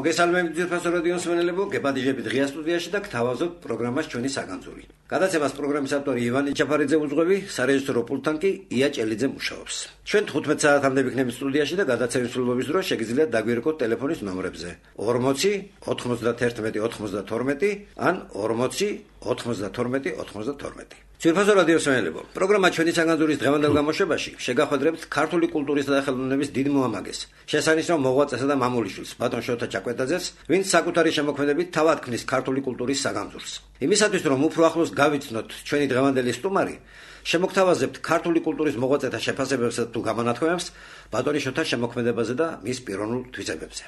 მოგესალმებით ძვირფასო რადიო მსმენელებო, გებადიჟებით ღია სტუდიაში და გთავაზობთ პროგრამას ჩვენი საგანძური. გადაცემას პროგრამის ავტორი ივანე ჩაფარიძე უძღვები, სარეჟისორო პულტთან კი ია ჭელიძე მუშაობს. ჩვენ 15 საათამდე ვიქნებით სტუდიაში და გადაცემის მსვლელობის დროს შეგიძლიათ დაგვირეკოთ ტელეფონის ნომრებზე 40 91 92 ან 40 92 92. ძვირფასო რადიო მსმენელებო, პროგრამა ჩვენი საგანძურის დღევანდელ გამოშვებაში შეგახვედრებთ ქართული კულტურისა და ხელოვნების დიდ მოამაგეს, შესანიშნავ მოღვაწესა და მამულიშვილს, ბატონ შოთა ჩაკვეტაძეს, ვინც საკუთარი შემოქმედებით თავად ქმნის ქართული კულტურის საგანძურს. იმისათვის, რომ უფრო ახლოს გავიცნოთ ჩვენი დღევანდელი სტუმარი, შემოგთავაზებთ ქართული კულტურის მოღვაწეთა შეფასებებსა თუ გამონათქვამებს ბატონის შოთას შემოქმედებაზე და მის პიროვნულ თვისებებზე.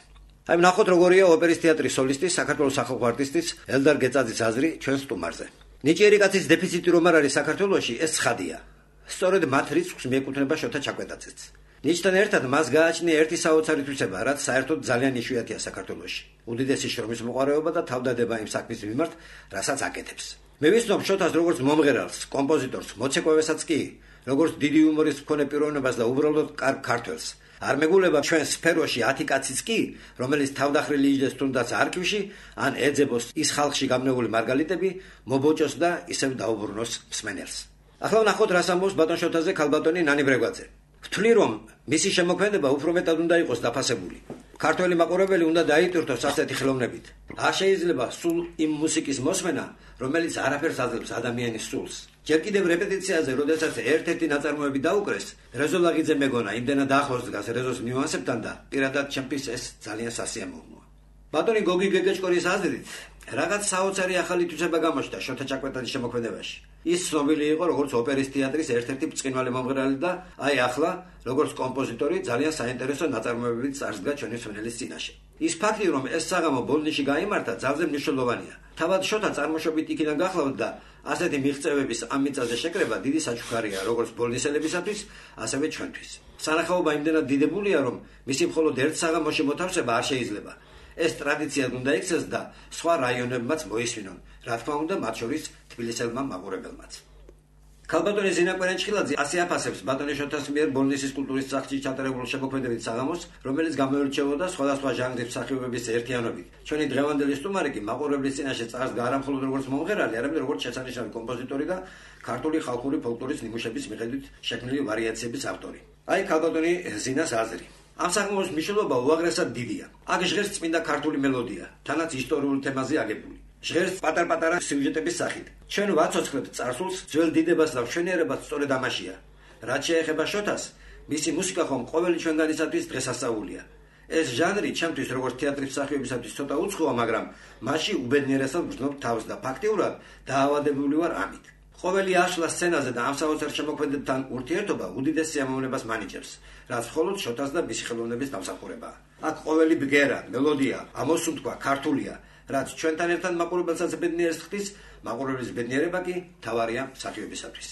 აი ნახოთ როგორია ოპერის თეატრის სოლისტის, საქართველოს სახალხო არტისტის ელდარ გეწაძის აზრი ჩვენ სტუმარზე. ნიჭიერი კაცის დეფიციტი რომ არ არის საქართველოში, ეს ცხადია. სწორედ მათ რიცხვს მიეკუთვნება შოთა ჩაკვეტაძეც. ნიჭთან ერთად მას გააჩნია ერთი საოცარი თვისება, რაც საერთოდ ძალიან იშვიათია საქართველოში. უდიდესი შრომის მოყარეობა და თავდადება იმ საქმის მიმართ, რასაც აკეთებს. მე ვიცნობ შოთას როგორც მომღერალს, კომპოზიტორს, მოცეკვავესაც კი, როგორც დიდი იუმორის მქონე პიროვნებას და უბრალოდ კარგ ქართველს. არ მეგულება ჩვენ სფეროში 10 კაციც კი, რომელიც თავდახრილი იჯდეს თუნდაც არქივში, ან ეძებოს ის ხალხში გამნეული მარგალიტები, მობოჭოს და ისევ დაუბრუნოს მსმენელს. ახლა ვნახოთ რას ამბობს ბატონ შოთაზე ქალბატონი ნანი ბრეგვაძე. ვთვლი რომ მისი შემოქმედება უფრო მეტად უნდა იყოს დაფასებული. ქართველი მაყურებელი უნდა დაიტვირთოს ასეთი ხელოვნებით. არ შეიძლება სულ იმ მუსიკის მოსმენა, რომელიც არაფერს აძლევს ადამიანის სულს. ჯერ კიდევ რეპეტიციაზე, როდესაც ერთ-ერთი ნაწარმოები დაუკრეს, რეზო ლაღიძე მეგონა იმდენად ახლოს დგას რეზოს ნიუანსებთან და პირადად ჩემთვის ეს ძალიან სასიამოვნოა. ბატონი გოგი გეგეჭკორის აზრით, რაღაც საოცარი ახალი თვისება გამოჩნდა შოთა ჩაკვეტაძის შემოქმედებაში. ის ცნობილი იყო როგორც ოპერის თეატრის ერთ-ერთი ბრწყინვალე მომღერალი და აი ახლა, როგორც კომპოზიტორი, ძალიან საინტერესო ნაწარმოებებით წარსდგა ჩვენი მსმენელის წინაშე. ის ფაქტი, რომ ეს საღამო ბოლნისში გაიმართა, ძალზე მნიშვნელოვანია. თავად შოთა წარმოშობით იქიდან გახლავთ და ასეთი მიღწევების ამ მიწაზე შეკრება დიდი საჩუქარია როგორც ბოლნისელებისათვის, ასევე ჩვენთვის. სანახაობა იმდენად დიდებულია, რომ მისი მხოლოდ ერთ საღამოში მოთავსება არ შეიძლება. ეს ტრადიციად უნდა იქცეს და სხვა რაიონებმაც მოისმინონ, რა თქმა უნდა, მათ შორის თბილისელმა მაყურებელმაც. ქალბატონი ზინა კვერენჭხილაძე ასე აფასებს ბატონის შოთას მიერ ბოლნისის კულტურის სახლში ჩატარებულ შემოქმედებით საღამოს, რომელიც გამოირჩეოდა სხვადასხვა ჟანრის მსახიობების ერთიანობით. ჩვენი დღევანდელი სტუმარი კი მაყურებლის წინაშე წარსდგა არა მხოლოდ როგორც მომღერალი, არამედ როგორც შესანიშნავი კომპოზიტორი და ქართული ხალხური ფოლკლორის ნიმუშების მიხედვით შექმნილი ვარიაციების ავტორი. აი ქალბატონი ზინას აზრი. ამ საღამოს მნიშვნელობა უაღრესად დიდია. აქ ჟღერს წმინდა ქართული მელოდია, თანაც ისტორიული თემაზე აგებული. ჟღერს პატარ-პატარა სიუჟეტების სახით. ჩვენ ვაცოცხლებთ წარსულს, ძველ დიდებას და მშვენიერებას სწორედ ამაშია. რაც შეეხება შოთას, მისი მუსიკა ხომ ყოველი ჩვენგანისათვის დღესასწაულია. ეს ჟანრი ჩემთვის როგორც თეატრის მსახიობისათვის ცოტა უცხოა, მაგრამ მასში უბედნიერესად ვგრძნობ თავს და ფაქტიურად დაავადებული ვარ ამით. ყოველი აშლა სცენაზე და ამ საოცარ შემოქმედებთან ურთიერთობა უდიდეს სიამოვნებას მანიჭებს, რაც მხოლოდ შოთას და მისი ხელოვნების დამსახურებაა. აქ ყოველი ბგერა, მელოდია, ამოსუნთქვა ქართულია, რაც ჩვენთან ერთად მაყურებელსაც ბედნიერს ხდის, მაყურებლის ბედნიერება კი თავარია მსახიობისათვის.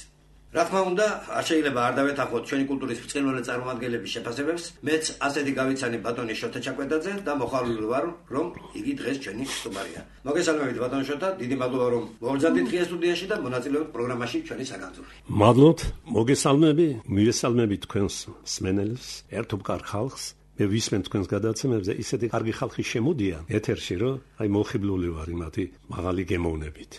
რა თქმა უნდა, არ შეიძლება არ დავეთანხმოთ ჩვენი კულტურის ბრწყინვალე წარმომადგენლების შეფასებებს, მეც ასეთი გავიცანი ბატონი შოთა ჩაკვეტაძე და მოხალული ვარ, რომ იგი დღეს ჩვენი სტუმარია. მოგესალმებით ბატონ შოთა, დიდი მადლობა რომ მოვბრძანდით ღია სტუდიაში და მონაწილეობთ პროგრამაში ჩვენი საგანძური. მადლობთ, მოგესალმებით თქვენს მსმენელს, ერთობკარ ხალხს. მე ვისმენ თქვენს გადაცემებზე, ისეთი კარგი ხალხი შემოდიან ეთერში, რომ აი მოხიბლული ვარ იმათი მაღალი გემოვნებით.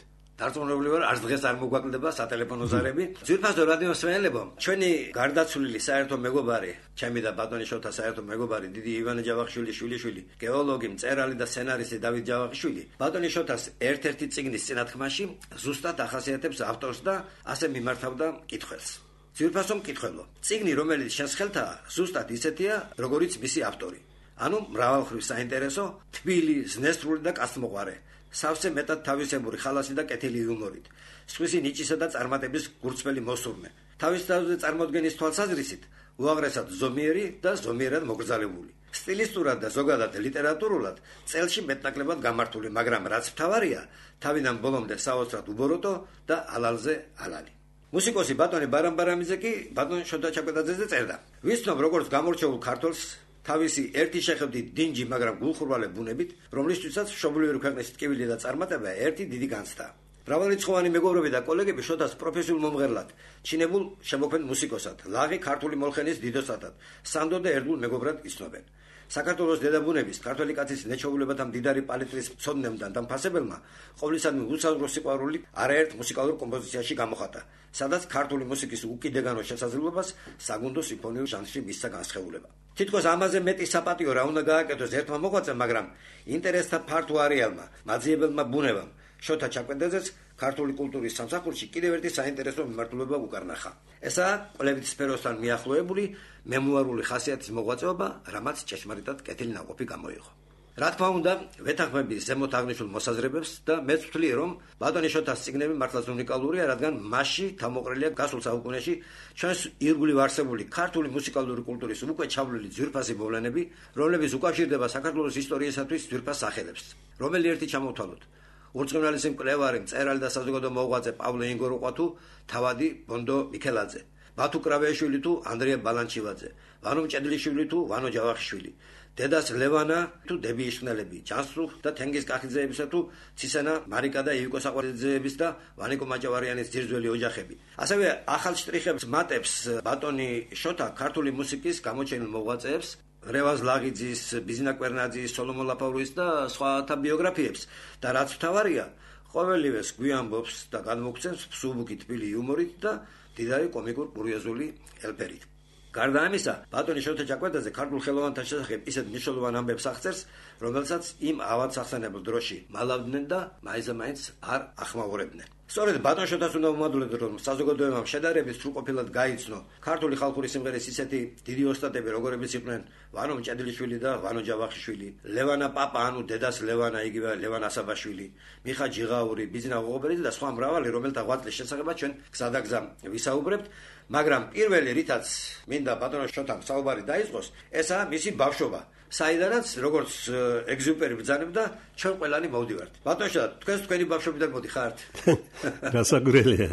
დარწმუნებული ვარ, არც დღეს არ მოგვაკლდება სატელეფონო ზარები. ძვირფასო რადიო მსმენელებო, ჩვენი გარდაცვლილი საერთო მეგობარი, ჩემი და ბატონის შოთას საერთო მეგობარი, დიდი ივანე ჯავახიშვილის შვილიშვილი, გეოლოგი, მწერალი და სცენარისტი დავით ჯავახიშვილი, ბატონის შოთას ერთ-ერთი წიგნის წინათქმაში ზუსტად ახასიათებს ავტორს და ასე მიმართავდა მკითხველს. ძვირფასო მკითხველო, წიგნი, რომელიც შენს ხელთაა, ზუსტად ისეთია, როგორიც მისი ავტორი. ანუ მრავალმხრივ საინტერესო, თბილი, ზნესტრული და კაცთმოყვარე. სავსე მეტად თავისებური ხალასი და კეთილი იუმორით, სხვისი ნიჭისა და წარმატების გურცმელი მოსურნე. თავის თავზე წარმოდგენის თვალსაზრისით, უაღრესად ზომიერი და ზომიერად მოგრძალებული. სტილისტურად და ზოგადად ლიტერატურულად წელში მეტნაკლებად გამართული, მაგრამ რაც მთავარია, თავიდან ბოლომდე საოცრად უბოროტო და ალალზე ალალი. მუსიკოსი ბატონი ბარამბარამიძე კი ბატონ შოთა ჩაკვეტაძეზე წერდა. ვიცნობ როგორც გამორჩეულ ქართველს, თავისი ერთი შეხედვით დინჯი, მაგრამ გულხურვალე ბუნებით, რომლისთვისაც მშობლიური ქვეყნის ტკივილი და წარმატება ერთი დიდი განცდა. მრავალრიცხოვანი მეგობრები და კოლეგები შოთას პროფესიულ მომღერლად, ჩინებულ შემოქმედ მუსიკოსად, ლაღი ქართული მოლხენის დიდოსადად, სანდო და ერთგულ მეგობრად იცნობენ. საქართველოს დედაბუნების ქართველი კაცის ნეჩვეულებათა მდიდარი პალიტრის მცოდნემ და დამფასებელმა ყოვლისადმი უსაზღვრო სიყვარული არაერთ მუსიკალურ კომპოზიციაში გამოხატა, სადაც ქართული მუსიკის უკიდეგანო შესაძლებლობას საგუნდო სიმფონიურ ჟანრში მისცა განსხეულება. თითქოს ამაზე მეტი საპატიო რა უნდა გააკეთოს ერთმა მოღვაწემ, მაგრამ ინტერესთა ფართო არეალმა, მაძიებელმა ბუნებამ, შოთა ჩაკვეტაძეც ქართული კულტურის სამსახურში კიდევ ერთი საინტერესო მიმართულება უკარნახა. ესაა კვლევით სფეროსთან მიახლოებული მემუარული ხასიათის მოღვაწეობა, რამაც ჭეშმარიტად კეთილი ნაყოფი გამოიღო. რა თქმა უნდა, ვეთანხმები ზემოთ აღნიშნულ მოსაზრებებს და მეც ვთვლი, რომ ბატონი შოთას წიგნები მართლაც უნიკალურია, რადგან მასში თავმოყრილია გასულ საუკუნეში ჩვენს ირგვლივ არსებული ქართული მუსიკალური კულტურის უკვე ჩავლილი ძვირფასი მოვლენები, რომლებიც უკავშირდება საქართველოს ისტორიისათვის ძვირფას სახელებს. რომელი ერთი ჩამოვთვალოთ? ურწყინვალესი მკვლევარი, მწერალი და საზოგადო მოღვაწე პავლე ინგოროყვა თუ თავადი ბონდო მიქელაძე, ბათუ კრავეიშვილი თუ ანდრია ბალანჩივაძე, ვანო მჭედლიშვილი თუ ვანო ჯავახიშვილი, დედას ლევანა თუ დები იშხნელები, ჯანსუხ და თენგიზ კახიძეებისა თუ ცისენა მარიკა და ივიკო საყვარეძეების და ვანიკო მაჭავარიანის ძირძველი ოჯახები. ასევე ახალ შტრიხებს მატებს ბატონი შოთა ქართული მუსიკის გამოჩენილ მოღვაწეებს, რევაზ ლაღიძის, ბიზნა კვერნაძის, სოლომონ ლაფავრის და სხვათა ბიოგრაფიებს და რაც მთავარია, ყოველივეს გვიამბობს და გადმოგცემს ფსუბუქი თბილი იუმორით და დიდარი კომიკურ კურიოზული ელფერით. გარდა ამისა, ბატონი შოთა ჩაკვეტაძე ქართულ ხელოვანთა შესახებ ისეთ მნიშვნელოვან ამბებს აღწერს, რომელსაც იმ ავადსახსენებელ დროში მალავდნენ და მაინც არ ახმაურებდნენ. სწორედ ბატონ შოთას უნდა ვუმადლოთ, რომ საზოგადოებამ შედარებით სრულყოფილად გაიცნო ქართული ხალხური სიმღერის ისეთი დიდი ოსტატები, როგორებიც იყვნენ ვანო მჭედლიშვილი და ვანო ჯავახიშვილი, ლევანა პაპა, ანუ დედას ლევანა, იგივე ლევან ასაბაშვილი, მიხა ჯიღაური, ბიზნა ღოღობერიძე და სხვა მრავალი, რომელთა ღვაწლის შესახებაც ჩვენ გზადაგზა ვისაუბრებთ. მაგრამ პირველი რითაც მინდა ბატონო შოთამ საუბარი დაიწყოს, ესაა მისი ბავშვობა, საიდანაც როგორც ეგზიუპერი ბრძანებდა, ჩვენ ყველანი მოვდივართ. ბატონო შოთა, თქვენი ბავშვობიდან მოდიხართ? გასაგრელია.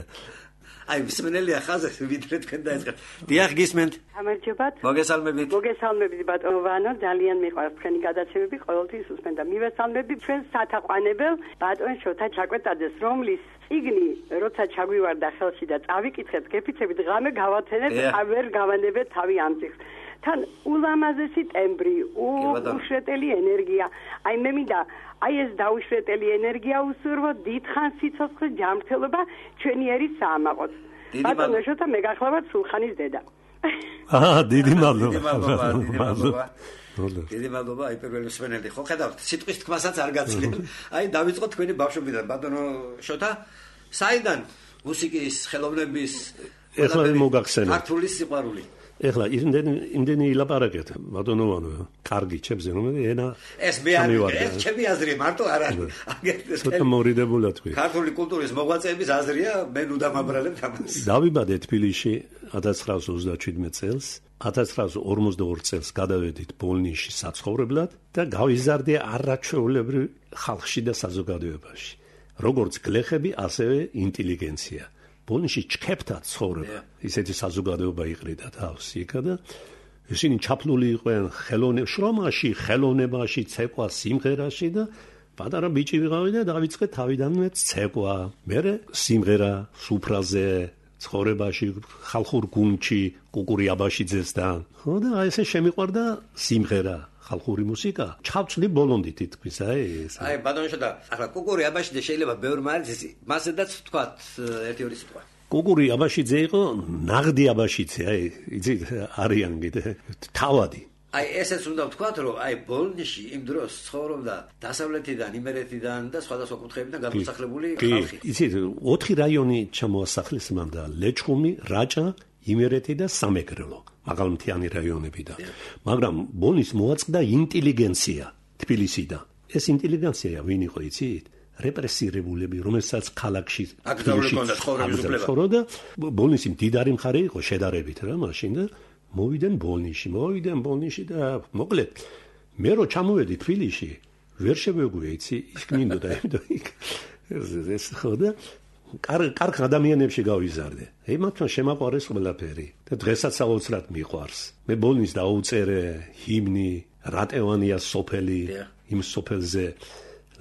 აი, მსმენელია ხაზზე, ვიდრე თქვენ დაიწყეთ. დიახ, გისმენთ. გამარჯობათ. მოგესალმებით. მოგესალმებით ბატონო ვანო, ძალიან მიყვარს თქვენი გადაცემები, ყოველთვის უსმენდა. მივესალმებით ჩვენ სათაყვანებელ ბატონ შოთა ჩაკვეტაძეს, რომლის წიგნი როცა ჩაგვივარდა ხელში და წავიკითხეთ, გეფიცებით ღამე გავათენეთ, ვერ გავანებეთ თავი ამ წიგნს. თან ულამაზესი ტემბრი, უშრეტელი ენერგია. აი მე მინდა აი ეს დაუშვეტელი ენერგია უსურვო დიდხანს სიცოცხლე ჯანმრთელობა ჩვენი ერის საამაყოთ. ბატონო შოთა მე გახლავართ სულხანის დედა. დიდი მადლობა. დიდი მადლობა, აი პირველი მსმენელი. ხო ხედავთ, სიტყვის თქმასაც არ გაცილებ. აი დავიწყოთ თქვენი ბავშვობიდან, ბატონო შოთა, საიდან მუსიკის, ხელოვნების, ეხლა მოგახსენე. ქართული სიყვარული. ეხლა იმდენი ილაპარაკეთ, ბატონო ვანო, კარგი ჩემზე, რომელი ენა ეს მე არ ეს ჩემი აზრია, მარტო არ არის. ცოტა მორიდებულად თქვი. ქართული კულტურის მოღვაწეების აზრია, მე ნუ დამაბრალებ თამას. დავიბადე თბილისში 1937 წელს, 1942 წელს გადავედით ბოლნისში საცხოვრებლად და გავიზარდე არაჩვეულებრივ ხალხში და საზოგადოებაში. როგორც გლეხები, ასევე ინტელიგენცია. ბოლნისში ჩქეფთა ცხოვრება, ისეთი საზოგადოება იყრიდა თავს იქა და ისინი ჩაფლული იყვნენ შრომაში, ხელოვნებაში, ცეკვა, სიმღერაში და პატარა ბიჭი ვიყავი და დავიწყე თავიდანვე ცეკვა, მერე სიმღერა, სუფრაზე, ცხოვრებაში, ხალხურ გუნდში, კუკური აბაშიძესთან. ხო და აი ესე შემიყვარდა სიმღერა. ხალხური მუსიკა ჩავწვდი ბოლონდით თითქმის აი ეს. აი ბატონო შოთა, ახლა კუკური აბაშიძე შეიძლება ბევრმა არის ისი, მასედაც თქვათ ერთი-ორი სიტყვა. კუკური აბაშიძე იყო ნაღდი აბაშიძე, აი იცით არიან კიდე თავადი. აი ესეც უნდა ვთქვათ, რომ აი ბოლნისში იმ დროს ცხოვრობდა დასავლეთიდან, იმერეთიდან და სხვადასხვა კუთხეებიდან გამოსახლებული ხალხი. იცით 4 რაიონი ჩამოასახლეს მან და ლეჩხუმი, რაჭა, იმერეთი და სამეგრელო. მაღალმთიანი რაიონებიდან. მაგრამ ბოლნის მოაწყდა ინტელიგენცია თბილისიდან. ეს ინტელიგენცია ვინ იყო იცით? რეპრესირებულები, რომელსაც ქალაქში ცხოვრობდა. ბოლნისი მდიდარი მხარე იყო შედარებით რა მაშინ და მოვიდნენ ბოლნისში და მოკლედ მე რო ჩამოვედი თბილისში, ვერ შევეგვია იცი, იქ მინდოდა ეს ხო და კარგ ადამიანებში გავიზარდე. მათთან შემაყვარეს ყველაფერი და დღესაც საოცრად მიყვარს. მე ბოლნის დაუწერე ჰიმნი, რატევანია სოფელი, იმ სოფელზე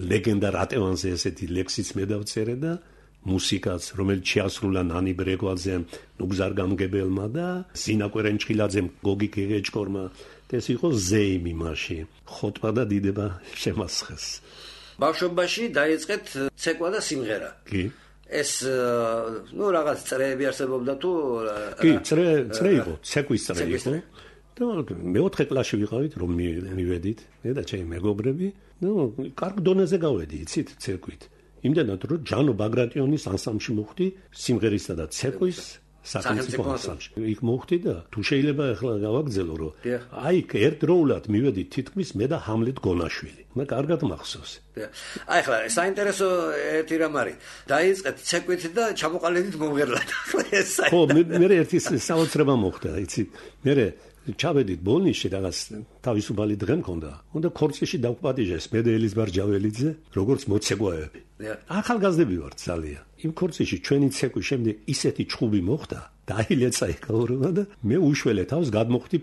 ლეგენდა რატევანზე ესეთი ლექსიც მე დავწერე და მუსიკაც, რომელიც შეასრულა ნანი ბრეგვაძემ, ნუგზარ გამგებელმა და ზინა კვერენჭხილაძემ, გოგი გეგეჭკორმა. ეს იყო ზეიმი მაშინ. ხოტბა და დიდება შემასხეს. ბავშვობაში დაიწყეთ ცეკვა და სიმღერა. კი. ეს რაღაც წრეები არსებობდა თუ კი, წრე იყო, ცეკვის წრე იყო. და მეოთხე კლასში ვიყავით, რომ მივედით, მე და ჩემი მეგობრები, კარგ დონეზე გავედი, იცით, ცეკვით. იმდენად რომ ჯანო ბაგრატიონის ანსამბლში მოხვდი სიმღერისა და ცეკვის სახელმწიფო ანსამბლში. იქ მოხვდი და თუ შეიძლება ახლა გავაგზელო რომ აი ერთდროულად მივედით თითქმის მე და ჰამლეტ გონაშვილი. მე კარგად მახსოვს. აი ახლა საინტერესო ერთი რამ არის. დაიწყეთ ცეკვით და ჩამოყალიბდით მომღერლად. ხო, მე ერთი საოცრება მოხდა, იცი. მე ჩავედით ბოლნიში რაღაც თავისუფალი დღე მქონდა. უნდა ქორწილში დავგვპატიჟეს მე და ელიზბარ ჯაველიძე, როგორც მოცეკვაები. ახალგაზრდები ვართ ძალიან. იმ ქორწილში ჩვენი ცეკვის შემდეგ ისეთი ჩხუბი მოხდა, დაილეცა ეკაურობა და მე უშველე თავს გადმოხდი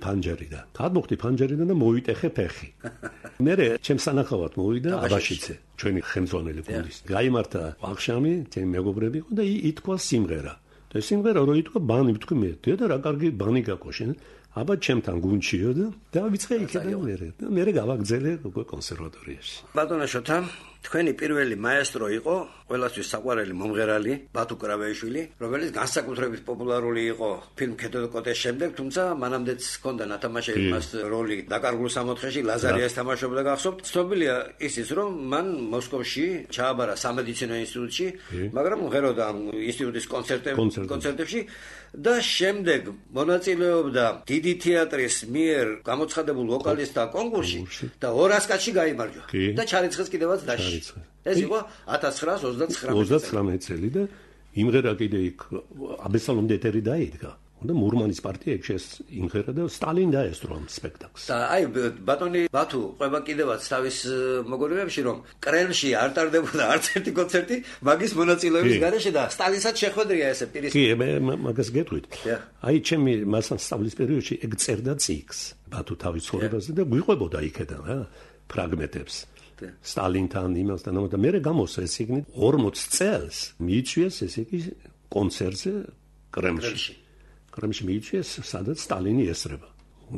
ფანჯერიდან და მოვიტეხე ფეხი. მე ჩემ სანახავად მოვიდა აბაშიძე, ჩვენი ხელმძღვანელი გუნდის. გაიმართა ვახშამი, ჩემი მეგობრები და ითქვა სიმღერა. და სიმღერა რო ითქვა ბანი ვთქვი მე, დედა რა კარგი ბანი გაკო შენ. აბა ჩემთან გუნჩიო და დავიწყე იქიდან მე გავაგზელე კონსერვატორიაში. ბატონო შოთა, თქვენი პირველი მაესტრო იყო ყველასთვის საყვარელი მომღერალი ბათუ კრავეიშვილი, რომელიც განსაკუთრებით პოპულარული იყო ფილმ ქედო და კოტეს შემდეგ, თუმცა მანამდეც ჰქონდა ნათამაშები მას როლი დაკარგულ სამოთხეში, ლაზარიას თამაშობდა გახსოვთ. ცნობილია ისიც, რომ მან მოსკოვში ჩააბარა სამედიცინო ინსტიტუტში, მაგრამ მღეროდა ამ ინსტიტუტის კონცერტებში და შემდეგ მონაწილეობდა დიდი თეატრის მიერ გამოცხადებულ ვოკალისტთა კონკურსში და 200 კაცში გაიმარჯვა და ჩარიცხეს კიდევაც დასში. ეს იყო 1929 წელი და იმღერა კიდე იქ აბესალომ დეტერი დაიდგა. და მურმანის პარტია ექშეს იმღერა და სტალინ დაესწრო ამ სპექტაკლს. და აი ბატონი ბათუ ყובה კიდევაც თავის მოგონებებში რომ კრემლში არ ტარდებოდა არც ერთი კონცერტი მაგის მონაწილეობის გარეშე და სტალინსაც შეხვედრია ესე პირის. კი, მე მაგას გეტყვით. აი ჩემი მასთან სწავლის პერიოდში ეგ წერდა ციკლს ბათუ თავის ცხოვრებაზე და გვიყვებოდა იქიდან რა ფრაგმენტებს. სტალინთან იმასთან და მე გამოსა ეს იგი 40 წელს მიიწვიეს ესე იგი კონცერტზე კრემლში. კრემლში მიიწვიეს, სადაც სტალინი ესწრება.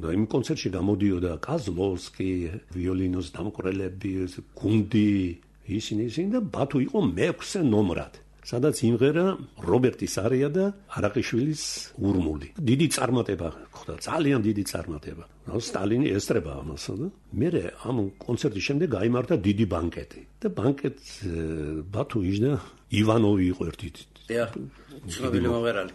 და იმ კონცერტში გამოდიოდა კაზლოვსკი, ვიოლინოს დამკვრელები, გუნდი, ისინი და ბათუ იყო მე-6 ნომრად. სადაც იმღერა რობერტის არია და არაყიშვილის ურმული. დიდი წარმატება ხდა, ძალიან დიდი წარმატება. სტალინი ესწრება ამასა და მე ამ კონცერტის შემდეგ გაიმართა დიდი ბანკეტი. და ბანკეტ ბათუ იჯდა ივანოვი იყო ერთი. ცნობილი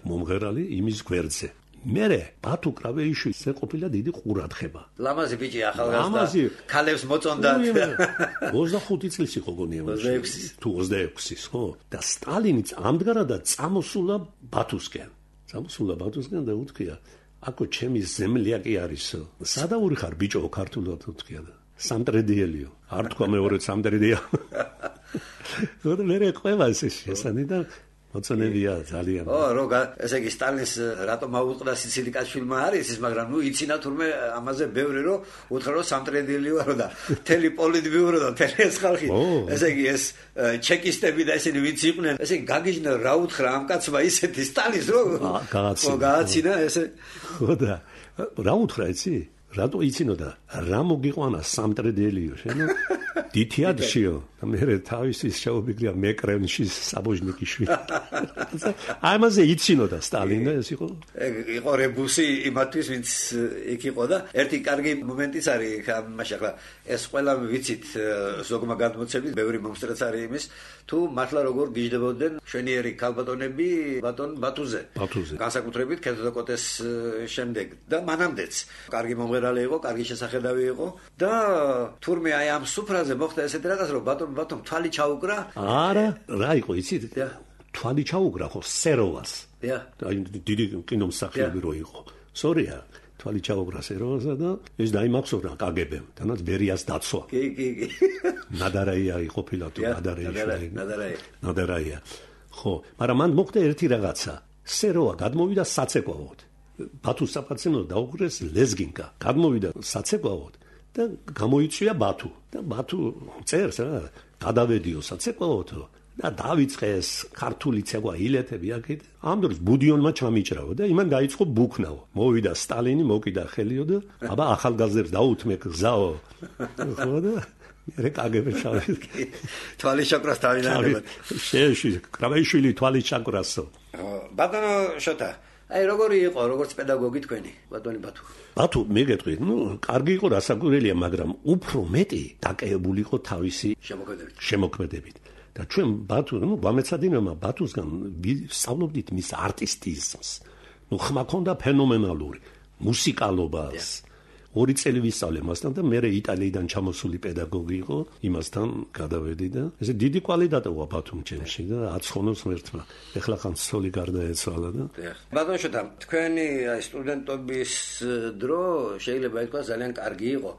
მომღერალი იმის გვერდზე. მერე ბათუ კრავეიშვილს ეყოფილა დიდი ყურადღება. ლამაზი ბიჭი ახალგაზრდა ქალებს მოწონდა. 25 წლის იყო გონია. 26-ის, ხო? და სტალინიც ამდღარადაც წამოსულა ბათუსკენ. და უთქია, აკო ჩემი ზემლიაკი არისო. სადაური ხარ ბიჭო ქართულად უთქია და სამტრედიელიო. არ თქვა მეორე სამტრედია. და მე ყובה ეს შესანი და მოწონებია ძალიან. ესე იგი სტალინს რატომ აუწყდა სიცილიკაშვილმა არის ის, მაგრამ იცინა თურმე ამაზე ბევრი რომ უთხრა რომ სამტრედილი ვარო და თელი პოლიტბიურო და თელი ეს ხალხი. ესე იგი ეს ჩეკისტები და ესენი ვინც იყვნენ, ესე იგი გაგიჟნა რა უთხრა ამ კაცმა ისეთი სტალინს რომ გააცინა ესე. ხო და რა უთხრა იცი? რატო იცინოდა? რა მოგიყვანა სამტრედელიო შენო? დითიადშიო და მე თავისი შეუბიგრია მეკრენში საბოჟნიკიშვილი. ამაზე იცინოდა სტალინი და ეს იყო რებუსი იმათვის ვინც იქ იყო და ერთი კარგი მომენტიც არის მაშინ ახლა ეს ყველა ვიცით ზოგმა გადმოცემით ბევრი მომსწრეც არის იმის თუ მართლა როგორ გიждდებოდნენ შვენიერი ქალბატონები ბატონ ბათუზე. განსაკუთრებით ქედო და კოტეს შემდეგ და მანამდეც კარგი მომღერალი იყო, კარგი შესახედავი იყო და თურმე აი ამ სუფრაზე მოხდა ესეთი რაღაც რომ ბატონ თვალი ჩაუკრა. არა, რა იყო იცით? თვალი ჩაუკრა ხო სეროვას. აი დიდი კინომსახიობი რო იყო. სორია, თვალი ჩაუკრა სეროვასა და ეს დაიმახსოვრა კგბ-მ, თანაც ბერიას დაცვა. კი. ნადარაია იყო ფილატო, ნადარაია. ხო, მაგრამ მან მოხდა ერთი რაღაცა. სეროვა გადმოვიდა საცეკვავოდ. ბათუს საპატიმრო დაუღრეს ლეზგინკა. გადმოვიდა საცეკვავოდ. და გამოიწვია ბათუ და ბათუ წერს რა გადავედიო საცეკვაოთო და დავიწყე ეს ქართული ცეკვა ილეთები აქეთ. ამ დროს ბუდიონმა ჩამიჭრავა და იმან დაიწყო ბუქნაო. მოვიდა სტალინი, მოკიდა ხელიო და აბა ახალგაზრდებს დაუთმე გზაო. ხო და მე კაგები ჩავიდი. თვალი შაკრას თავიდან. შეში, კრავეიშვილი თვალი შაკრასო. ბატონო შოთა, აი როგორი იყო როგორც პედაგოგი თქვენი, ბატონი ბათუ? ბათუ მეგეთყვით, კარგი იყო რასაკვირველია, მაგრამ უფრო მეტი დაკავებული იყო თავისი შემოქმედებით. და ჩვენ ბათუ, გვამეცადინებმა ბათუსგან ვსწავლობდით მის არტისტიზმს. ხმა ქონდა ფენომენალური მუსიკალობას. 2 წელი ვისწავლე მასთან და მე იტალიიდან ჩამოსული პედაგოგი იყო, იმასთან გადავედი და ესე დიდი კვალიტატია ბათუმ ჩემში და აცხონოს ერთმა. ეხლა ხან სოლი გარდაეცვალა და. ბატონო შოთა, თქვენი სტუდენტობის დრო შეიძლება ითქვას ძალიან კარგი იყო.